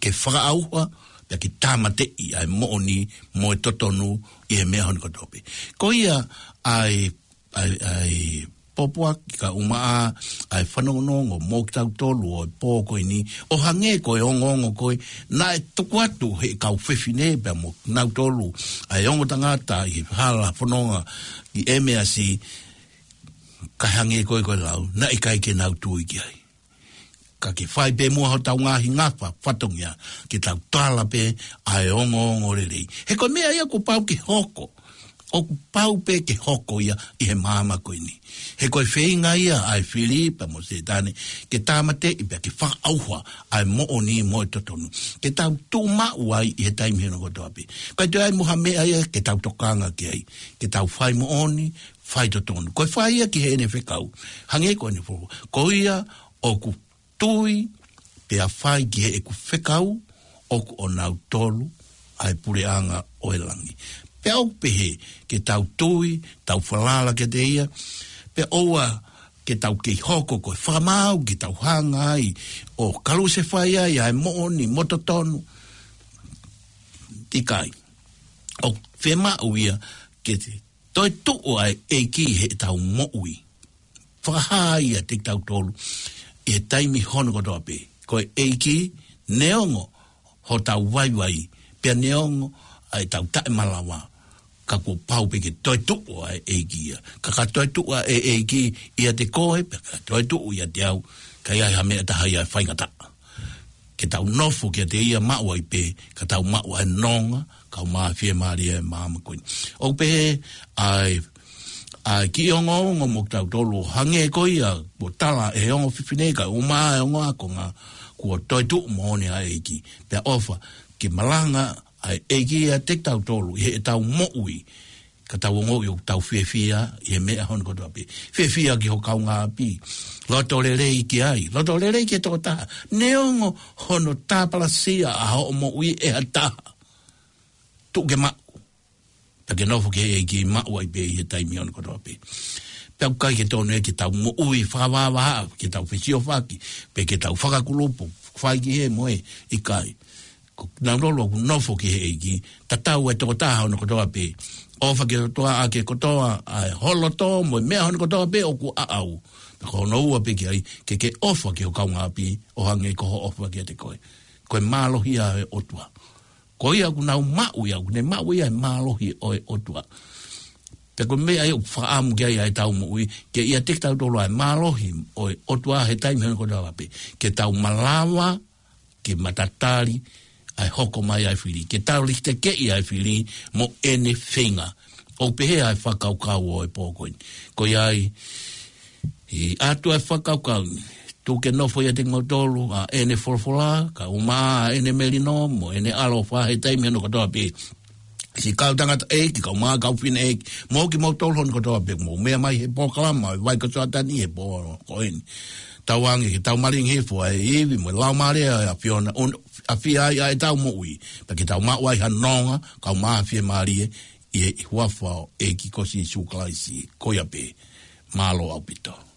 ke fakaʻauha, pea ke tāmateʻi ʻa e moʻoni mo e totonu ʻi he meʻa hono kotoa pē. Ko ia ʻa e, ʻa e, ʻa e pōpoaki kae ʻumaʻā ʻa e fanongonongo mo kitautolu ʻo e pō ko eni, ʻo hangē ko e ongoongo ko ē naʻe tuku atu ʻe he kau fefine pea mo kinautolu ʻa e ongo tangata ʻi he hala fononga ʻi ʻEmeasi, kae hangē ko ē ko e lau, naʻe ʻikai ke nau tui ki ai. Ka ke fai pē muʻa hotau ngaahi ngafa fatongia, ke tau tala pē ʻa e ongoongo lelei. He ko e meʻa ia kuo pau ke hoko. ʻOku pau pē ke hoko ia ʻi he māmani ko eni. He ko e feinga ia ʻa e fili pea mo Sētane, ke tāmateʻi pea ke fakaʻauha ʻa e moʻoni mo e totonu. Ke tau tuʻu maʻu ai ʻi he taimi hono kotoa pē. Kae toe ʻi ai mo ha meʻa ia ke tau tokanga ki ai. Ke tau fai moʻoni, fai totonu. Ko e fai ia ki heʻene fekau. Hangē ko ʻene folofola. Ko ia ʻoku tui, pea fai ki heʻeku fekau, ʻoku ʻonautolu ʻa e puleʻanga ʻo e langi. Pea ʻoku pehē, ke tau tui, tau falala kiate ia, pea ʻoua ke tau kei hoko ko e fakamaau ke tau hanga ai ʻo kalusefai ai ʻa e moʻoni mo e totonu. ʻIkai. ʻOku fiemaʻu ia ke toetuʻu ʻa e ʻEiki heʻetau moʻui. Fakahā ia kiate kitautolu ʻi he taimi hono kotoa pē. Ko e ʻEiki, neongo hotau vaivai, pea neongo ʻa ʻetau taʻemalava, ka kuo pau pē ke toetuʻu ʻa e ʻEiki ia. Ka ka toetuʻu ʻa e ʻEiki ʻiate koe, pea ka toetuʻu ʻiate au, ka ʻi ai ha meʻa ʻe taha ia ʻe faingataʻa. Ke tau nofo kiate ia, maʻu ai pē, ka tau maʻu ʻa e nonga, kae ʻumaʻā e fiemālie ʻa e māmani ko eni. ʻOku pehē ʻa e, ʻa e kiʻi ongoongo mo kitautolu, hangē ko ia kuo tala ʻe he ongo fefine kae ʻumaʻā e ongo ākonga, kuo toetuʻu moʻoni ʻa e ʻEiki. Pea ʻofa ke malanga ʻa e ʻEiki ʻiate kitautolu ʻi heʻetau moʻui, ka tau ongoʻi ʻoku tau fiefia ʻi he meʻa hono kotoa pē. Fiefia ki ho kaungāʻapi. Loto lelei ki ai. Loto lelei ki he tokotaha. Neongo hono tāpalasia ʻa hoʻo moʻui ʻe ha taha, tuʻu ke maʻu. Pea ke nofo ki he ʻEiki, maʻu ai pē ʻi he taimi hono kotoa pē. Pea ʻoku ʻikai ke tonu ia ke tau moʻui fakavahavahaʻa, ke tau fesiofaki, pe ke tau fakakulupu, fai ki he mo e, ʻikai. Ko kinautolu ʻoku nofo ki he ʻEiki, tatau e tokotaha hono kotoa pē. ʻOfa ki he ʻOtua ʻaki e kotoa ʻa e ho loto mo e meʻa hono kotoa pē ʻoku ʻaʻau. Pea ko hono ua pē ki ai, ke ke ʻofa ki ho kaungāʻapi ʻo hangē ko hoʻo ʻofa kiate koe. Ko e mālohi ia ʻo e ʻOtua. Ko ia ʻoku nau maʻu ia, ʻoku ne maʻu ia e mālohi ʻo e ʻOtua. Pea ko e meʻa ia ʻoku fakaʻamu ki ai ʻa ʻetau moʻui, ke ʻiate kitautolu ʻa e mālohi ʻo e ʻOtua he taimi hono kotoa pē. Ke tau malava ke matatali ʻa e hoko mai ʻa e fili. Ke tau litekeʻi ʻa e fili mo ʻene feinga. ʻOku pehē ʻa e fakakaukau ʻo e pō ko eni. Ko ia ai, ʻi atu ʻa e fakakaukau ni, tuku ke nofo ʻiate kimautolu ʻa ʻene folofola, kae ʻumaʻā ʻa ʻene melino mo ʻene ʻaloʻofa he taimi hono kotoa pē. siʻi kau tangataʻeiki, kau mā, kau fineʻeiki, mo kimoutolu hono kotoa pē ʻoku mou meʻa mai he polokalama ʻa e Vai ko Soatani he pō ko eni. Tauange ke tau malingi hifo ʻa e ivi mo e Laumālie ʻa e ʻAfiona, ʻo ʻafio ai ʻa ʻetau moʻui, pea ke tau maʻu ai ha nonga, kau mā fiemālie, ʻi he huafa ʻo e ʻEiki ko Sīsū Kalaisi, ko ia pē. Mālō ʻaupito.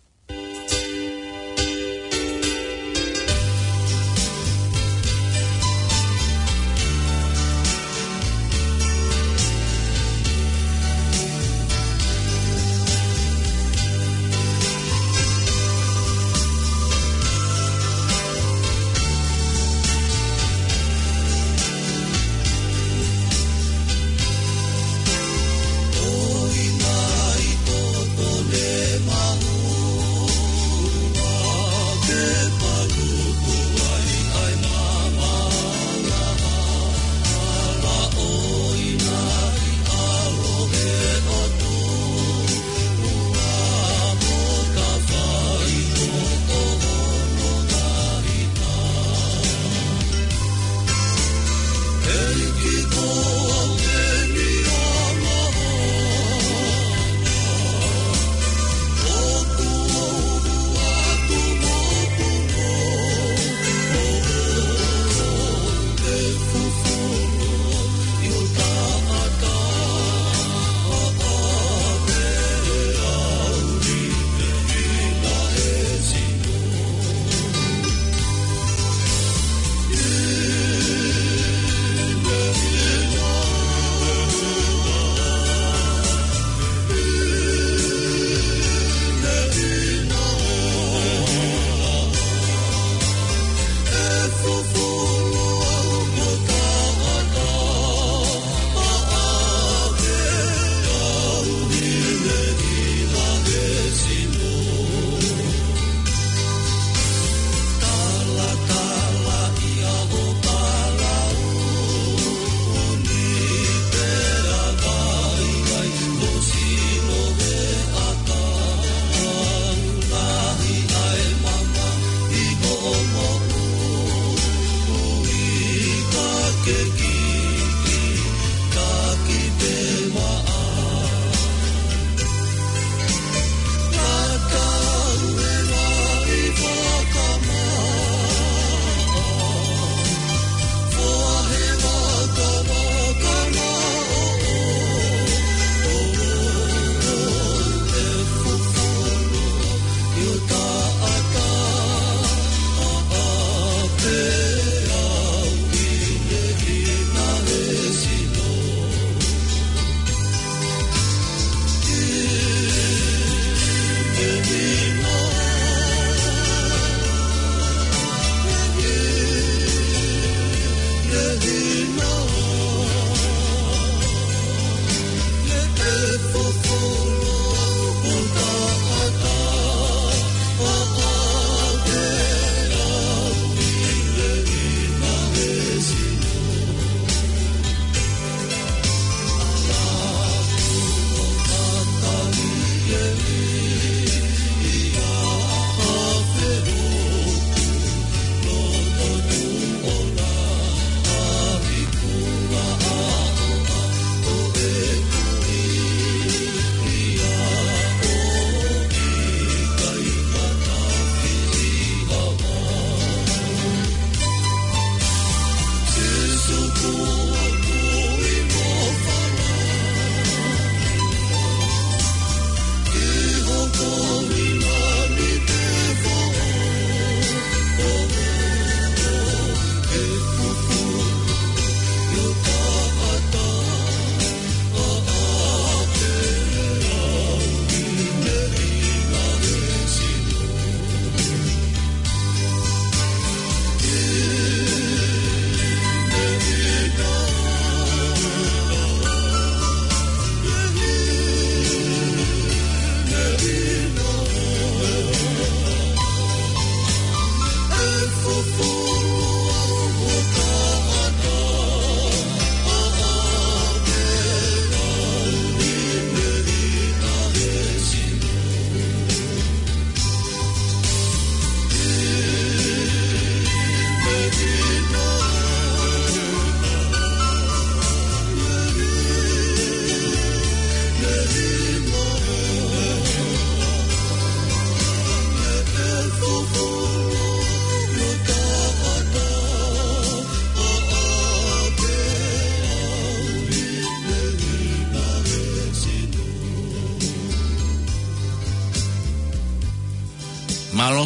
Mālō.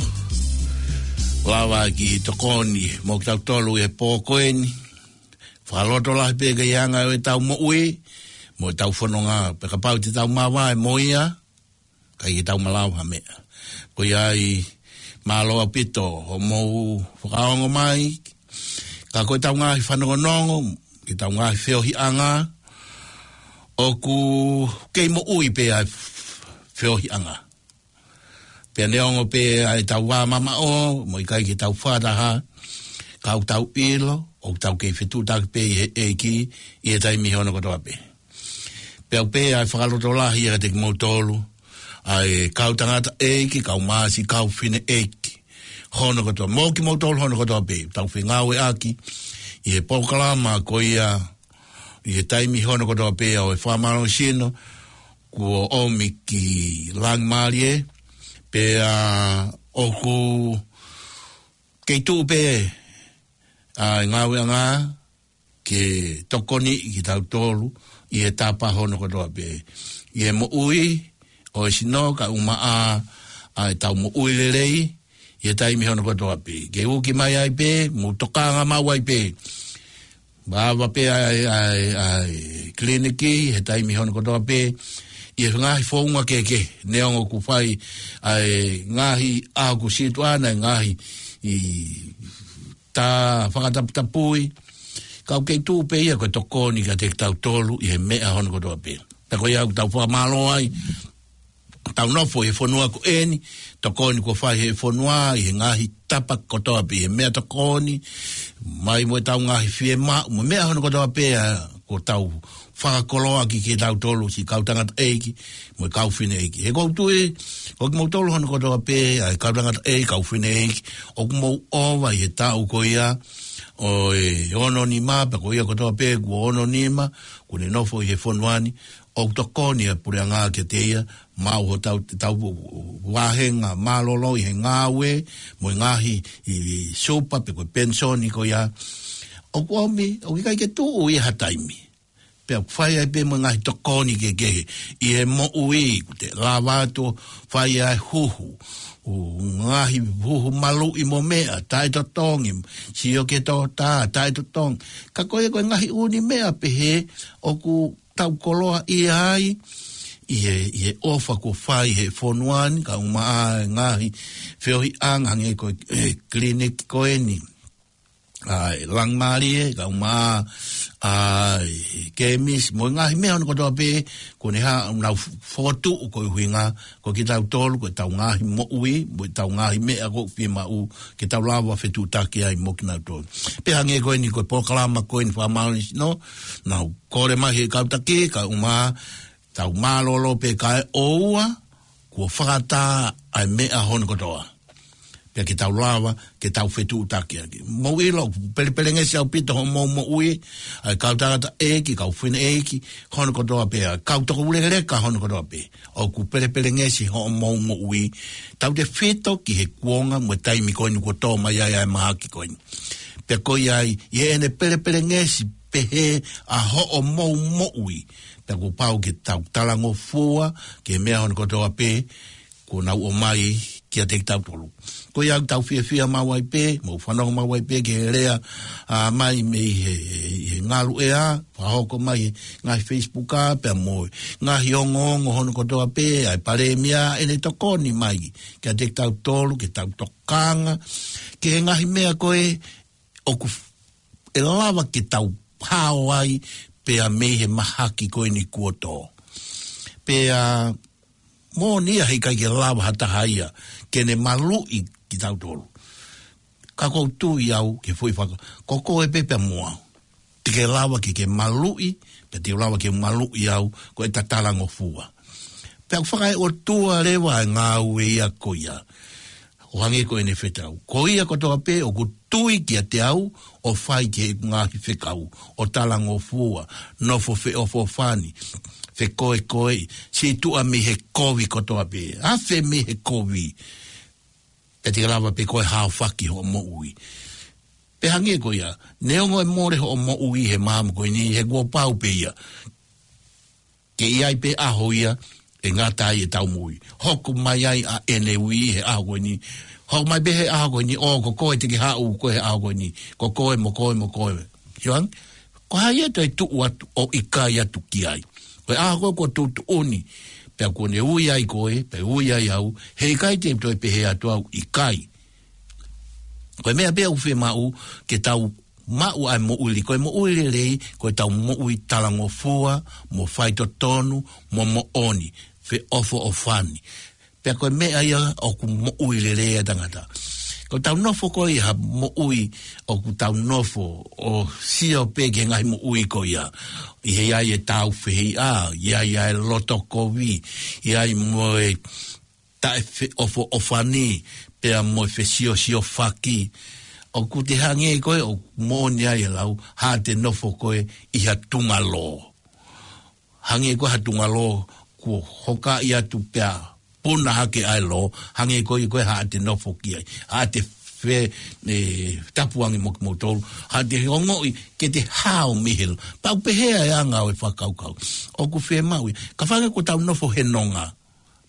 Lava ki he tokoni mo kitautolu he pō ko eni. Fakalotolahi pē ki he anga ʻo ʻetau moʻui mo ʻetau fononga, pea kapau te tau mavae mo ia, ʻikai ke tau malava ha meʻa. Ko ia ai, mālō ʻaupito hoʻomou fakaongo mai. Ka ko ʻetau ngaahi fanongonongo, ki heʻetau ngaahi feohiʻanga, ʻoku kei moʻui pē ʻa e feohiʻanga. Pea neongo pē ʻa ʻetau vā mamaʻo, mo ʻikai ke tau fakataha, ka ʻoku tau ʻilo ʻoku tau kei fetuʻutaki pē ʻi he ʻEiki ʻi he taimi hono kotoa pē. Pea ʻoku pehē ʻa e fakalotolahi ʻiate kimoutolu, ʻa e kau tangataʻeiki, kau mā siʻi kau fineʻeiki hono kotoa, mo kimoutolu hono kotoa pē, tau fengāueʻaki ʻi he polokalama ko ia, ʻi he taimi hono kotoa pē ʻo e fakamālohisino, kuo ʻomi ki Langimālie, pea ʻoku kei tuʻu pē ʻa e ngāueʻanga ke tokoniʻi kitautolu ʻi he tapa hono kotoa pē, ʻi he moʻui ʻo e sino kae ʻumaʻā ʻa ʻetau moʻui lelei ʻi he taimi hono kotoa pē. Ke uki mai ai pē, mou tokanga maʻu ai pē. Mālō pē ʻa e, ʻa e, ʻa e kiliniki he taimi hono kotoa pē, ʻi he ngaahi founga kehekehe, neongo ʻoku fai ʻa e ngaahi ʻaho kuo situʻa ʻa e ngaahi ʻi tā fakataputapui, ka ʻoku kei tuʻu pē ia ko e tokoni kiate kitautolu ʻi he meʻa hono kotoa pē. Pea ko ia ʻoku tau fakamālō ai, tau nofo he fonua ko eni, tokoni kuo fai he fonua, ʻi he ngaahi tapa kotoa pē, ʻi he meʻatokoni, mai mo ʻetau ngaahi fiemaʻu, mo e meʻa hono kotoa pē, ʻa, kuo tau fakakoloa ki, kitautolu siʻi kau tangataʻeiki mo e kau fineʻeiki. He ʻoku ou tui, ko kimoutolu hono kotoa pē, ʻa e kau tangataʻeiki, kau fineʻeiki, ʻoku mou ʻova ʻi he taʻu ko ia ʻo e ono nima, pea ko ia kotoa pē kuo ono nima, kuo ne nofo ʻi he fonua ni, ʻoku tokoni ʻa e puleʻanga kiate ia, maʻu hotau, tau vāhenga mālōlō ʻi he ngāue, mo e ngaahi ʻi, ʻi supa pe ko e penisoni ko ia. ʻOku ʻomi, ʻoku ʻikai ke tuʻu ia ha taimi. Pea ʻoku fai ai pē mo e ngaahi tokoni kehekehe ʻi he moʻui, ʻoku te lava atu ʻo fai ʻa e huhu, ʻo ngaahi huhu maluʻi mo meʻa, taʻetotongi, sio ki he toketā, taʻetotongi. Ka ko e, ko e ngaahi ʻū meʻa pehē ʻoku tau koloaʻia ai ʻi he, ʻi he ʻofa kuo fai he fonua ni, kae ʻumaʻā e ngaahi feohiʻanga hangē ko e, e kiliniki ko eni ʻa e Langimālie, kae ʻumaʻā ʻa e kēmisi, mo e ngaahi meʻa hono kotoa pē, kuo ne hā, ʻoku nau fokotuʻu koeʻuhinga ko kitautolu, ko ʻetau ngaahi moʻui, mo ʻetau ngaahi meʻa ʻoku fiemaʻu ke tau lava fetuʻutaki ai mo kinautolu. Pea hangē ko eni ko e polokalama ko eni fakamālohisino, naʻa ku kole mai he kau taki, kae ʻumaʻā, tau mālōlō pē kae ʻoua kuo fakatā ʻa e meʻa hono kotoa. Pea ke tau lava, ke tau fetuʻutaki ʻaki. Mou ʻilo, pelepelengesi ʻaupito hoʻomou moʻui, ʻa e kau tangataʻeiki, kau fineʻeiki, hono kotoa pē, ʻa e kau toko ulekeleka hono kotoa pē. ʻOku pelepelengesi hoʻomou moʻui, tautefito ki he kuonga mo e taimi ko eni kuo tō mai ai ʻa e mahaki ko eni. Pea ko ia ai, ʻi heʻene pelepelengesi pehē ʻa hoʻomou moʻui, pea kuo pau ke tau talangofua ki he meʻa hono kotoa pē kuo nau ʻomai kiate kitautolu. Ko ia ʻoku tau fiefia maʻu ai pē, mou fanongo maʻu ai pē ki he lea, ʻa, mai mei he, he, he ngaluʻea, fakahoko mai he ngaahi Facebook ʻa, pea mo e ngaahi ongoongo hono kotoa pē, ʻa e palēmia, ʻene tokoni mai kiate kitautolu, ke tau tokanga ki he ngaahi meʻa ko ē ʻoku f-, ʻe lava ke tau hao ai pea mei he mahaki ko eni kuo tō. Pea moʻoni ia heʻikai ke lava ha taha ia ke ne maluʻi kitautolu. Ka ʻoku ou tui au ki he foʻi faka-, ko koe pē pea mo au. Te ke lava ke ke maluʻi, pea te u lava ke maluʻi au, ko ʻeta talangofua. Pea ʻoku fakaʻotua leva e ngāue ia ko ia. ʻO hangē ko ʻene fetau. Ko ia kotoa pē ʻoku tui kiate au, ʻo fai ki heʻeku ngaahi fekau, ʻo talangofua, nofo feʻofoʻofani, fekoekoeʻi, situʻa mei he kovi kotoa pē. Afe mei he kovi. Pea te ke lava pē koe ʻo haofaki hoʻo moʻui. Pea hangē ko ia, neongo e mole hoʻo moʻui he māmani ko eni, he kuo pau pē ia ke ʻi ai pē ʻaho ia pe ngata ai ʻetau moʻui. Hoko mai ai ʻa ʻene ui he ʻaho ko eni. Hoko mai pē he ʻaho ko eni, ʻo ko koe te ke haʻu koe he ʻaho ko eni. Ko koe mo koe mo koe. Hiang? Ko hai ʻe toe tuʻu atu ʻo ʻikai atu ki ai? Ko e ʻaho ko ē kuo tuʻutuʻuni, pea kuo ne ui ai koe, pea ui ai au, heʻikai te u toe pehē atu au ʻikai. Ko e meʻa pē ʻoku fiemaʻu ke tau maʻu ai moʻui, ko e moʻui lelei, ko ʻetau moʻui talangofua, mo faitotonu, mo moʻoni, feʻofoʻofani. Pea ko e meʻa ia ʻoku moʻui lelei ai tangata. Ko ʻetau nofo ko ia ha moʻui ʻoku tau nofo ʻo sio pē ki he ngaahi moʻui ko ia. ʻI he ʻi ai e tāufehiʻa, ʻi ai e loto kovi, ʻi ai mo e taʻefeʻofoʻofani, pea mo e fesiosiofaki. ʻOku te hangē ko ē ʻoku moʻoni ai e lau, haʻate nofo ko ē ʻi ha tunga lō. Hangē ko ha tunga lō kuo hokaʻi atu pea puna hake ʻa e lō, hangē ko ia ko ē haʻate nofo ki ai. Haʻate fe-, e, tapu ange mo kimoutolu, haʻate ongoʻi ke te hao mihil. Pau pehē ʻa e anga ʻo e fakakaukau. ʻOku fiemaʻu ia. Ka fanga ko ʻetau nofo he nonga,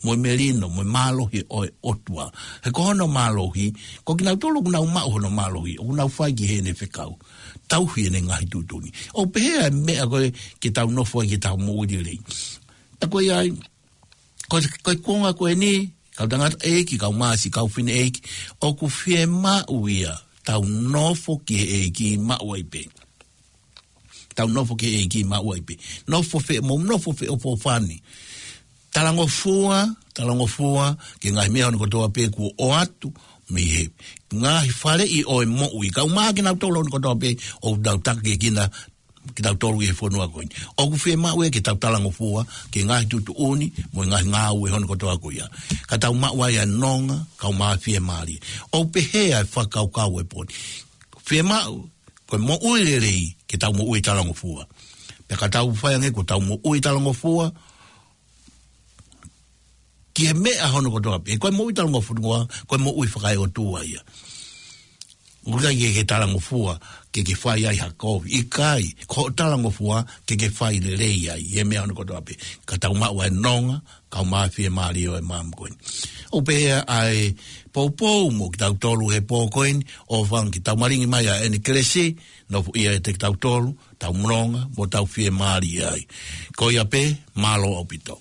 mo e melino, mo e mālohi ʻo e ʻOtua. He ko hono mālohi, ko kinautolu ʻoku nau maʻu hono mālohi, ʻoku nau fai ki heʻene fekau. Tauhi ʻene ngaahi tuʻutuʻuni. ʻOku pehē ʻa e meʻa ko ē ke tau nofo ai ke tau moʻui lelei. Ta ko ia ai, ko, ko e konga ko eni, kau tangataʻeiki, kau masi, kau fineʻeiki, ʻoku fiemaʻu ia, tau nofo ki he ʻEiki maʻu ai pē. Tau nofo ki he ʻEiki maʻu ai pē. Nofo fe-, mo nofo feʻofoʻofani. Talangofua, talangofua, ki he ngaahi meʻa hono kotoa pē kuo ʻoatu, mei he ngaahi faleʻi ʻo e moʻui. Kau mā kinautolu hono kotoa pē, ʻoku nau taki kina, kinautolu ʻi he fonua ko eni. ʻOku fiemaʻu ia ke tau talangofua, ki he ngaahi tuʻutuʻuni, mo e ngaahi ngāue hono kotoa ko ia. Ka tau maʻu ai ʻa e nonga, kau mā fiemālie. ʻOku pehē ʻa e fakakaukau e poni. Fiemaʻu, ko e moʻui lelei, ke tau moʻui talangofua. Pea ka tau fai ange ko ʻetau moʻui talangofua, ki he meʻa hono kotoa pē, ko e moʻui talangofua, ko e moʻui fakaeʻotua ia. ʻOku ʻikai ke ke talangofua, ke ke fai ai ha kovi, ʻikai, ko hoʻo talangofua, ke ke fai lelei ai, ʻi he meʻa hono kotoa pē. Ka tau maʻu ʻa e nonga, kau mā fiemālie ʻo e maama ko eni. ʻOku pehē ʻa e poupou mo kitautolu he pō ko eni, ʻofa ange ke tau malingi mai ʻa ʻene kelesi, nofoʻia ʻiate kitautolu, tau mononga, mo tau fiemālie ai. Ko ia pē, mālō ʻaupito.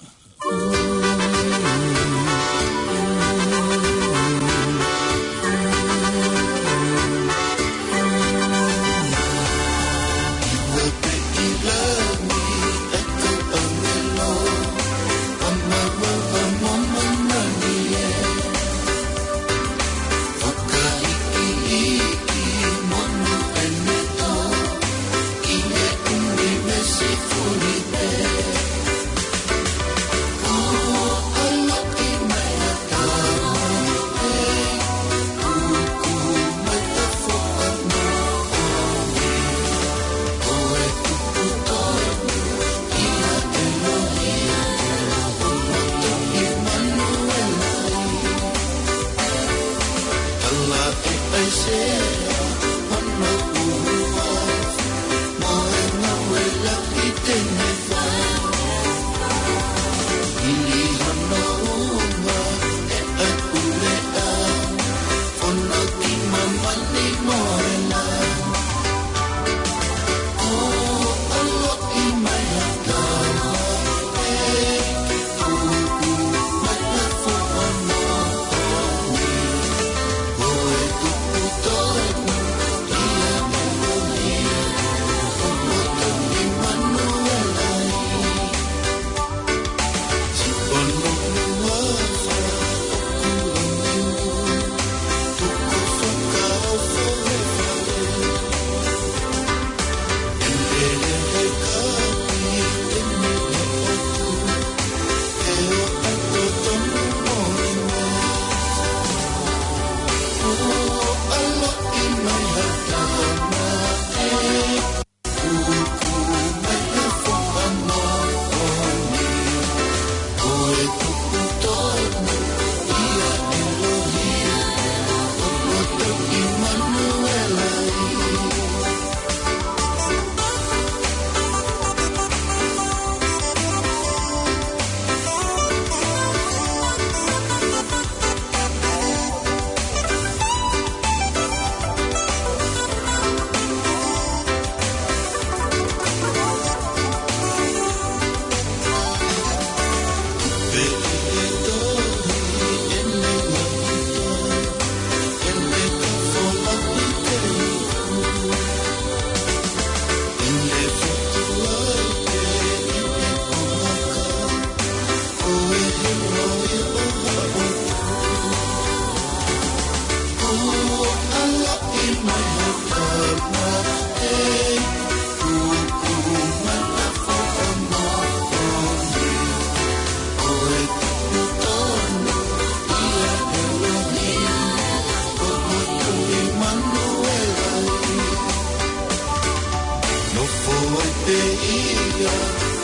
Nofo ai pē ia,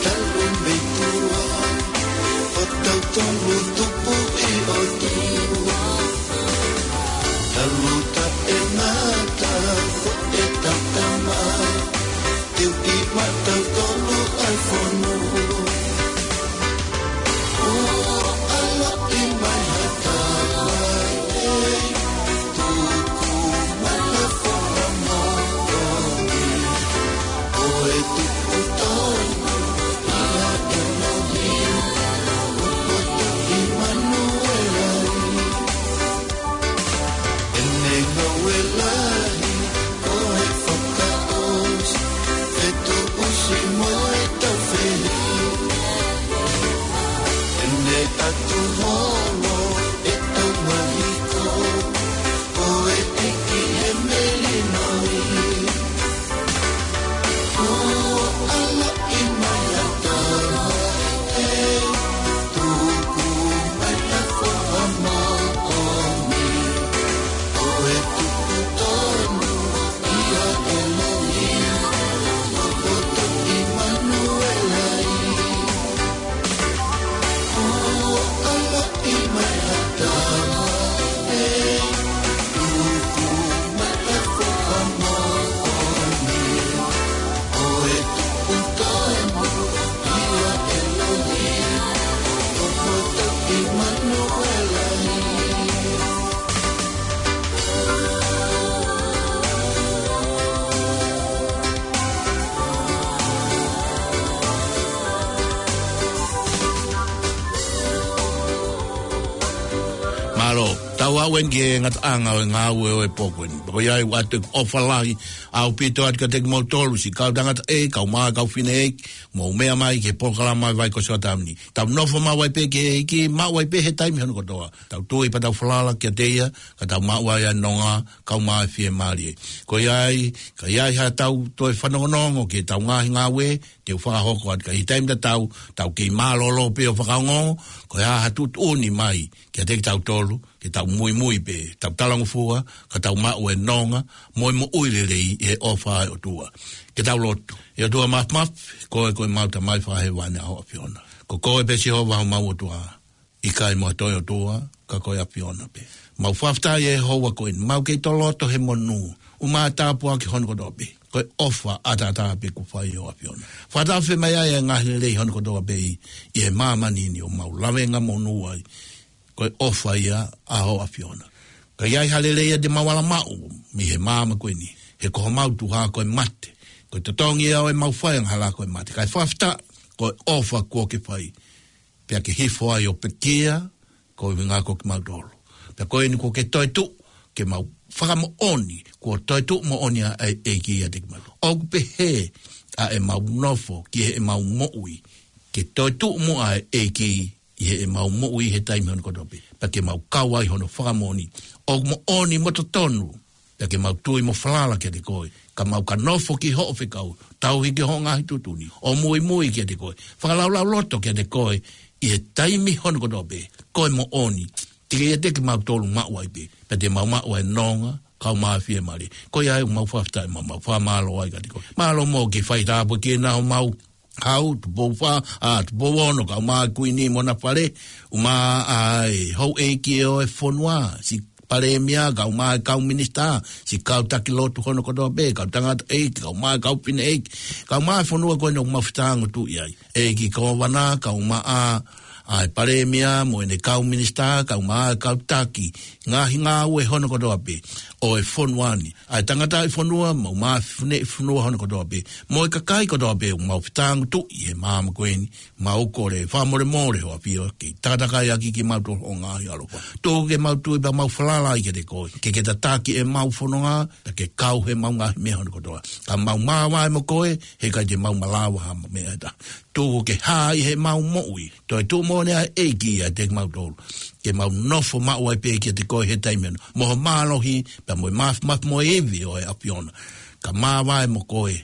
talu mei tuʻa, ʻo tautolu tupu ʻi ʻOtua. Talu taʻengata, ko e tautama, teu ki maʻatautolu ʻa e fonua. Ua ʻaloʻi mai ha tama, ʻe, tuku mai ha foha moʻoni. Ko e tupu tonu ia ʻa ʻElohim, ʻo poto ʻImanuela. ʻEne ngāue lahi, ko e fakaʻosi, fetuʻusi mo e taufehiʻa. ʻEne ʻatu holo, ʻe tau mahiko, ko e ʻEiki he melino. Ua ʻaloʻi mai ha tama, ʻe, tuku mai ha foha moʻoni. Ko e tupu tonu ia ʻa ʻElohim, ʻo poto ʻImanuela. Ua ʻaloʻi mai ha tama, ʻe, tuku mai ha foha moʻoni. Ko e tupu tonu ia ʻa ʻElohim, ʻo poto ʻImanuela. Mālō, tau aʻu eni ki he ngataʻanga ʻo e ngāue ʻo e pō ko eni. Ko ia ai ʻoatu ʻeku ʻofa lahi ʻaupito atu kiate kimoutolu, siʻi kau tangataʻeiki, kae ʻumaʻā e kau fineʻeiki, mou meʻa mai ki he polokalama ʻa e Vaikosi ʻo Taʻu ni. Tau nofo maʻu ai pē ki he ʻEiki, maʻu ai pē he taimi hono kotoa. Tau tui pea tau falala kiate ia, ka tau maʻu ai ʻa e nonga, kae ʻumaʻā e fiemālie. Ko ia ai, ka ʻi ai haʻatau toe fanongonongo ki heʻetau ngaahi ngāue, te u fakahoko atu, ka ʻi he taimi tatau, tau kei mālōlō pē ʻo fakaongo, ko e hā ha tuʻutuʻuni mai kiate kitautolu, ke tau muimui pē, tau talangofua, ka tau maʻu e nonga mo e moʻui lelei ʻi he ʻofa ʻa e ʻOtua. Ke tau lotu. ʻE ʻOtua Māfimafi, ko koe ko ʻemau Tamai Fakahēvani, ʻa ho ʻAfiona. Ko koe pē Sihova homau ʻOtua, ʻikai mo ha toe ʻotua, ka ko e ʻAfiona pē. Mau fakafetaʻi ʻi he houa ko eni, mau kei toloto he monū, ʻumaʻā e tāpuaki hono kotoa pē. Ko e ʻofa ʻataʻatā pē kuo fai ʻe ho ʻAfiona. Fakatafe mai ai e ngaahi lelei hono kotoa pē ʻi, ʻi he māmani ni ʻoku mau lavengamonū ai. Ko e ʻofa ia ʻa ho ʻAfiona. Ka ʻi ai ha lelei ia te mau ala maʻu mei he māmani ko eni, he ko homau tuha ko e mate. Ko e totongi ia ʻo ʻemau fai angahala ko e mate. Kae fakafetaʻi, ko e ʻofa kuo ke fai. Pea ke hifo ai ʻo pekia, ko e ʻuhinga ko kimautolu. Pea ko eni kuo ke toetuʻu, ke mau fakamoʻoni, kuo toetuʻu moʻoni ʻa e ʻEiki ʻiate kimautolu. ʻOku pehē ʻa ʻemau nofo ki heʻemau moʻui, ke toetuʻu muʻa ʻa e ʻEiki ʻi heʻemau moʻui he taimi hono kotoa pē. Pea ke mau kau ai hono fakamoʻoni. ʻOku moʻoni mo totonu, pea ke mau tui mo falala kiate koe. Ka mau ka nofo ki hoʻo fekau, tauhi ki hoʻo ngaahi tuʻutuʻuni. ʻO muimui kiate koe. Fakalaulauloto kiate koe, ʻi he taimi hono kotoa pē. Ko e moʻoni. Te ke ʻiate kimautolu maʻu ai pē. Pea te mau maʻu ai e nonga, kae ʻumaʻā e fiemālie. Ko ia ai ʻoku mau fakafetaʻi mo mau fakamālō ai kiate koe. Mālō mo e kiʻi fai tāpuekina homau Hau, Tupou Fā, ʻa, Tupou Ono, kae ʻumaʻā e Kuini mo hona fale, ʻumaʻā ʻa e houʻeiki ʻo e fonua, siʻi Palēmia, kae ʻumaʻā e kau minisitā, siʻi kau taki lotu hono kotoa pē, kau tangataʻeiki, kae ʻumaʻā e kau fineʻeiki, kae ʻumaʻā e fonua ko eni ʻoku mau fetāngotuʻi ai. ʻEiki Kōvana, kae ʻumaʻā ʻa e Palēmia, mo ʻene kau minisitā, kae ʻumaʻā e kau taki, ngaahi ngāue hono kotoa pē, ʻo e fonua ni. ʻA e tangataʻi fonua, mo e kau fineʻeiki fonua hono kotoa pē. Mo e kakai kotoa pē, ʻoku mau fetāngotuʻi he māmani ko eni, mau kole, fakamolemole ho ʻAfio, ke takatakai ʻaki kimautolu ho ngaahi ʻaloʻofa. Tuku ke mau tui pea mau falala ai kiate koe. Ke ke tataki ʻemau fononga, pea ke kau heʻemau ngaahi meʻa hono kotoa. Ka mau māvae mo koe, heʻikai te mau malava ha meʻa ʻe taha. Tuku ke hā ʻi heʻemau moʻui. Toetuʻu moʻoni ʻa e ʻEiki ʻiate kimautolu. ke mau nofo maʻu ai pē kiate koe he taimi ni. Mo ho mālohi, pea mo e mafimafi mo e ivi ʻo e ʻAfiona. Ka māvae mo koe,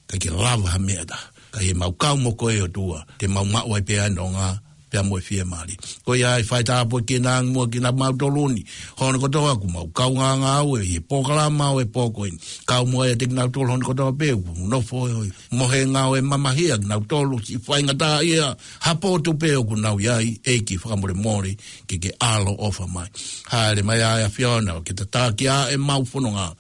ka ke lava ha meʻa taha. Ka ʻi heʻemau kau mo koe ʻOtua, te mau maʻu ai pē ʻa e nonga, pea mo e fiemālie. Ko ia ai fai tāpuekina ange muʻa kinautolu ni. Hono kotoa ʻoku mau kaungā ngāue ʻi he polokalama ʻo e pō ko eni. Kau muʻa ʻiate kinautolu hono kotoa pē ʻoku nofo ʻi he mohenga ʻo e mamahia kinautolu siʻi faingataʻaʻia ha potu pē ʻoku nau ʻi ai, ʻEiki fakamolemole ke ke ʻaloʻofa mai. Hāʻele mai ʻa e ʻAfiona ʻo ke tataki ʻa ʻemau fononga.